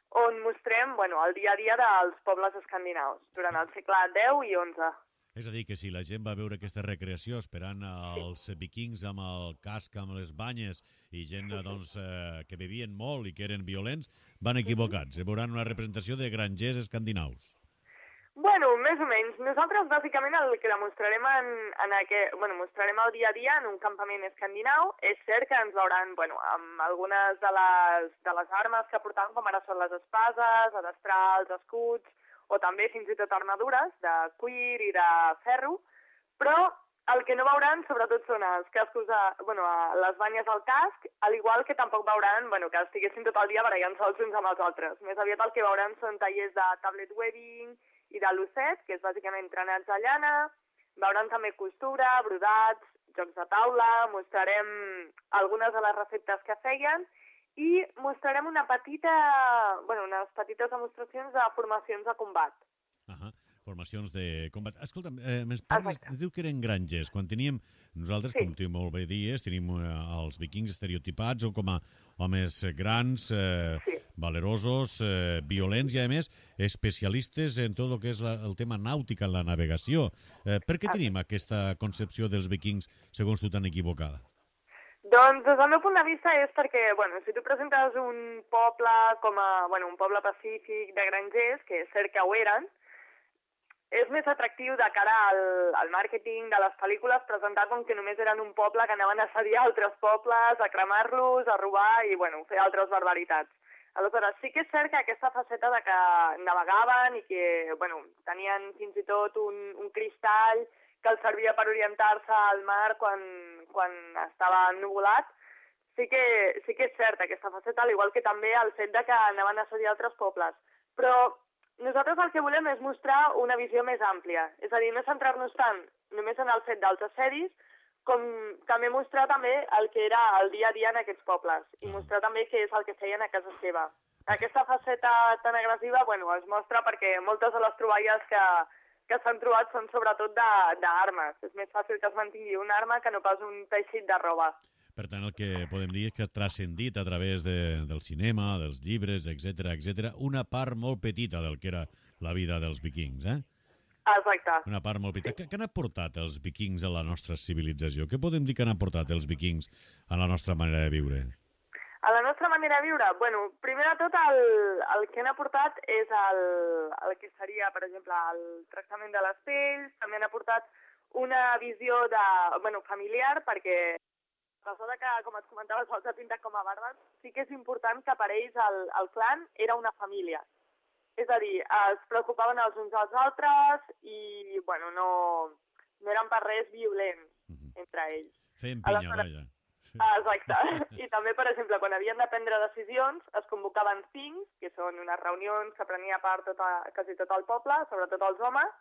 on mostrem, bueno, el dia a dia dels pobles escandinaus durant el segle deu i onze. És a dir, que si la gent va veure aquesta recreació esperant els vikings amb el casc, amb les banyes, i gent doncs, eh, que bevien molt i que eren violents, van equivocats. Veuran una representació de grangers escandinaus. Bueno, més o menys. Nosaltres, bàsicament, el que demostrarem en, en aquest... Bueno, mostrarem el dia a dia en un campament escandinau. És cert que ens veuran, bueno, amb algunes de les, de les armes que portaven, com ara són les espases, els destrals, escuts, o també fins i tot armadures de cuir i de ferro, però el que no veuran sobretot són els cascos, a, bueno, a les banyes al casc, al igual que tampoc veuran, bueno, que estiguessin tot el dia barallant-se els uns amb els altres. Més aviat el que veuran són tallers de tablet webbing i de lucet, que és bàsicament trenats de llana. Veuran també costura, brodats, jocs de taula, mostrarem algunes de les receptes que feien, i mostrarem una petita, bueno, unes petites demostracions de formacions de combat. Ahà, formacions de combat. Escolta'm, eh, ens parles, ens diu que eren grangers. Quan teníem, nosaltres, sí. com tu molt bé dies, tenim eh, els vikings estereotipats o com a homes grans, eh, sí. valerosos, eh, violents i, a més, especialistes en tot el que és la, el tema nàutic, en la navegació. Eh, per què tenim aquesta concepció dels vikings, segons tu, tan equivocada? Doncs des del meu punt de vista és perquè, bueno, si tu presentes un poble com a, bueno, un poble pacífic de grangers, que és cert que ho eren, és més atractiu de cara al, al màrqueting de les pel·lícules presentar com que només eren un poble que anaven a asediar altres pobles, a cremar-los, a robar i, bueno, fer altres barbaritats. Aleshores, sí que és cert que aquesta faceta de que navegaven i que, bueno, tenien fins i tot un, un cristall que els servia per orientar-se al mar quan, quan estava ennuvolat, sí que, sí que és cert aquesta faceta, al igual que també el fet de que anaven a assedir altres pobles. Però nosaltres el que volem és mostrar una visió més àmplia, és a dir, no centrar-nos tant només en el fet dels assedis, com també mostrar també el que era el dia a dia en aquests pobles, i mostrar també què és el que feien a casa seva. Aquesta faceta tan agressiva, bueno, es mostra perquè moltes de les troballes que que s'han trobat són sobretot d'armes. És més fàcil que es mantingui una arma que no pas un teixit de roba. Per tant, el que podem dir és que ha transcendit a través de, del cinema, dels llibres, etcètera, etcètera, una part molt petita del que era la vida dels vikings, eh? Exacte. Una part molt petita. Sí. Què, què han aportat els vikings a la nostra civilització? Què podem dir que han aportat els vikings a la nostra manera de viure? A la nostra manera de viure? Bueno, primer de tot el, el que han aportat és el, el que seria, per exemple, el tractament de les pells, també han aportat una visió de, bueno, familiar, perquè a pesar de que, com et comentaves, els ha pintat com a bàrbars, sí que és important que per ells el, el clan era una família. És a dir, es preocupaven els uns als altres i, bueno, no, no eren per res violents entre ells. Feien pinya, vaja. Ah, exacte. I també, per exemple, quan havien de prendre decisions, es convocaven things, que són unes reunions que prenia part tota, quasi tot el poble, sobretot els homes,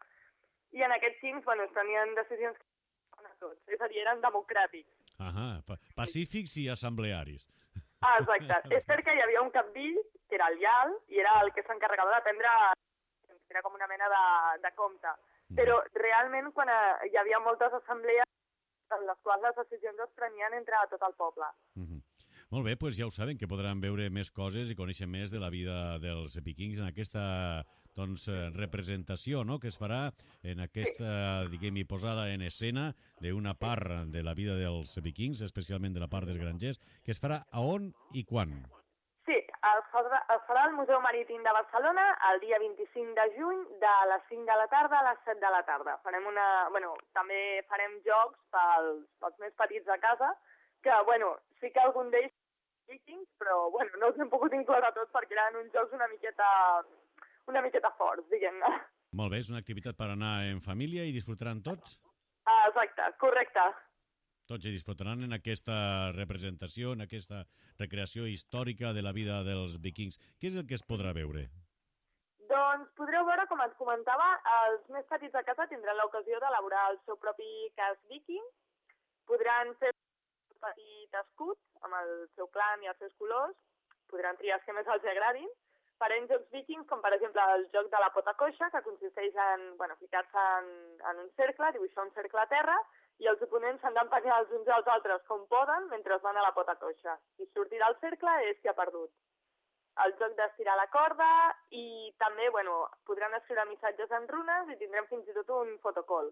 i en aquests things, bueno, es prenien decisions a tots. És a dir, eren democràtics. Ahà, pacífics i assemblearis. Ah, exacte. És cert que hi havia un capdill, que era el Ial, i era el que s'encarregava de prendre... Era com una una mena de, de compte. Però realment quan eh, hi havia moltes assemblees en les quals les decisions es prenien entre tot el poble. Mm-hmm. Molt bé, doncs ja ho saben, que podran veure més coses i conèixer més de la vida dels vikings en aquesta doncs, representació, no?, que es farà en aquesta, sí. diguem-hi, posada en escena d'una part de la vida dels vikings, especialment de la part dels grangers, que es farà a on i quan? Sí, es farà, es farà al Museu Marítim de Barcelona el dia vint-i-cinc de juny de les cinc de la tarda a les set de la tarda. Farem una, bueno, també farem jocs pels, pels més petits de casa, que, bueno, sí que algun d'ells són vikings, però, bueno, no els hem pogut incloure tots perquè eren uns jocs una miqueta, una miqueta forts, diguem-ne. Molt bé, és una activitat per anar en família i disfrutaran tots? Ah, exacte, correcte. Tots hi disfrutaran en aquesta representació, en aquesta recreació històrica de la vida dels vikings. Què és el que es podrà veure? Doncs podreu veure, com ens comentava, els més petits de casa tindran l'ocasió d'elaborar el seu propi casc viking, podran fer un petit escut amb el seu clan i els seus colors, podran triar els que més els agradin, farem jocs vikings, com per exemple el joc de la pota coixa, que consisteix en, bueno, ficar-se en, en un cercle, dibuixar un cercle a terra, i els oponents s'han d'empenyar els uns als altres com poden mentre van a la pota coixa. Qui sortirà al cercle és qui ha perdut. El joc d'estirar la corda i també, bueno, podran escriure missatges en runes i tindrem fins i tot un fotocall.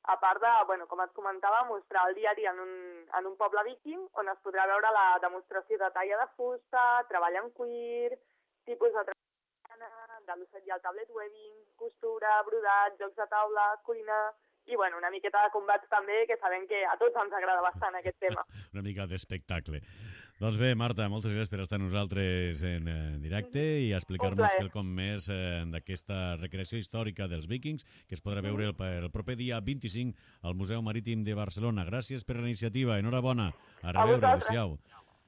A part de, bueno, com et comentava, mostrar el diari en un, en un poble viking on es podrà veure la demostració de talla de fusta, treball en cuir, tipus de treball de l'ocell i el tablet webbing, costura, brodat, jocs de taula, cuina... I, bueno, una miqueta de combats també, que sabem que a tots ens agrada bastant aquest tema. Una mica d'espectacle. Doncs bé, Marta, moltes gràcies per estar nosaltres en eh, directe i explicar-nos quelcom més eh, d'aquesta recreació històrica dels vikings, que es podrà veure el, el proper dia vint-i-cinc al Museu Marítim de Barcelona. Gràcies per la iniciativa. Enhorabona. A reveure. Adéu-siau.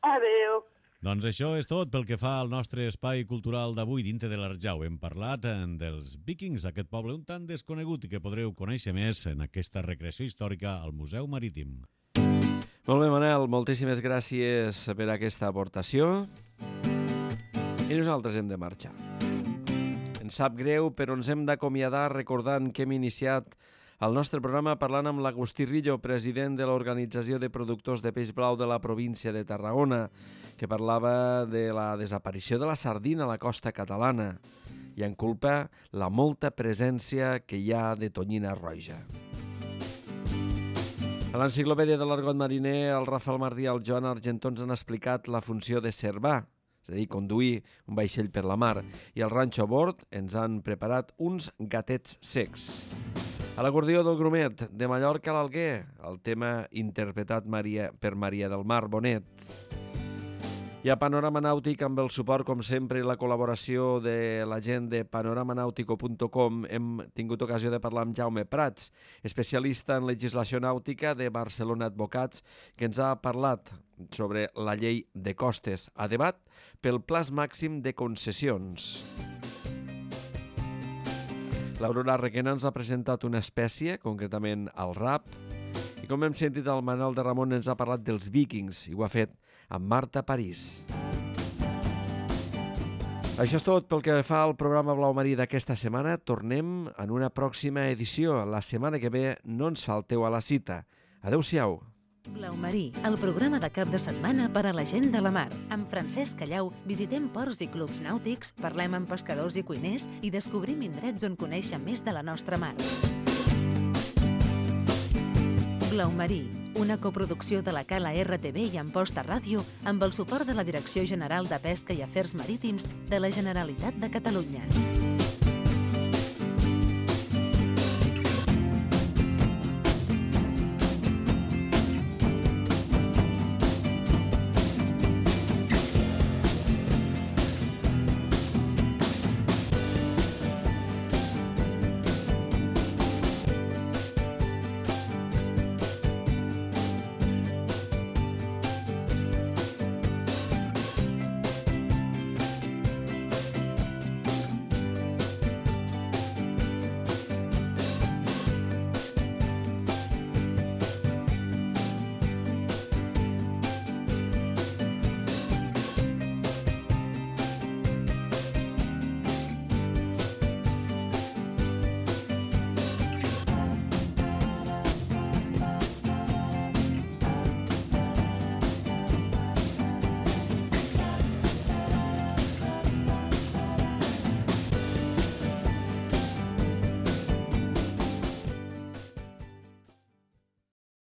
Adéu. Doncs això és tot pel que fa al nostre espai cultural d'avui dintre de l'Arjau. Hem parlat dels vikings, aquest poble un tant desconegut i que podreu conèixer més en aquesta recreació històrica al Museu Marítim. Molt bé, Manel, moltíssimes gràcies per aquesta aportació. I nosaltres hem de marxar. Ens sap greu, però ens hem d'acomiadar recordant que hem iniciat el nostre programa parlant amb l'Agustí Rillo, president de l'Organització de Productors de Peix Blau de la província de Tarragona, que parlava de la desaparició de la sardina a la costa catalana i en culpa la molta presència que hi ha de tonyina roja. A l'enciclopèdia de l'argot mariner, el Rafael Martí i el Joan Argentó ens han explicat la funció de servar, és a dir, conduir un vaixell per la mar, i al Ranxo a Bord ens han preparat uns gatets secs. A l'acordió del Grumet, de Mallorca a l'Alguer, el tema interpretat Maria, per Maria del Mar Bonet. I a Panorama Nàutic, amb el suport, com sempre, i la col·laboració de la gent de panorama nàutico punt com, hem tingut ocasió de parlar amb Jaume Prats, especialista en legislació nàutica de Barcelona Advocats, que ens ha parlat sobre la llei de costes a debat pel plaç màxim de concessions. L'Aurora Requena ens ha presentat una espècie, concretament el rap, i com hem sentit, el Manuel de Ramon ens ha parlat dels vikings, i ho ha fet amb Marta París. Això és tot pel que fa al programa Blau Marí d'aquesta setmana. Tornem en una pròxima edició. La setmana que ve no ens falteu a la cita. Adéu-siau. Blau Marí, el programa de cap de setmana per a la gent de la mar. Amb Francesc Callau visitem ports i clubs nàutics, parlem amb pescadors i cuiners i descobrim indrets on conèixer més de la nostra mar. Blau Marí, una coproducció de la Cala R T V i Amposta Ràdio amb el suport de la Direcció General de Pesca i Afers Marítims de la Generalitat de Catalunya.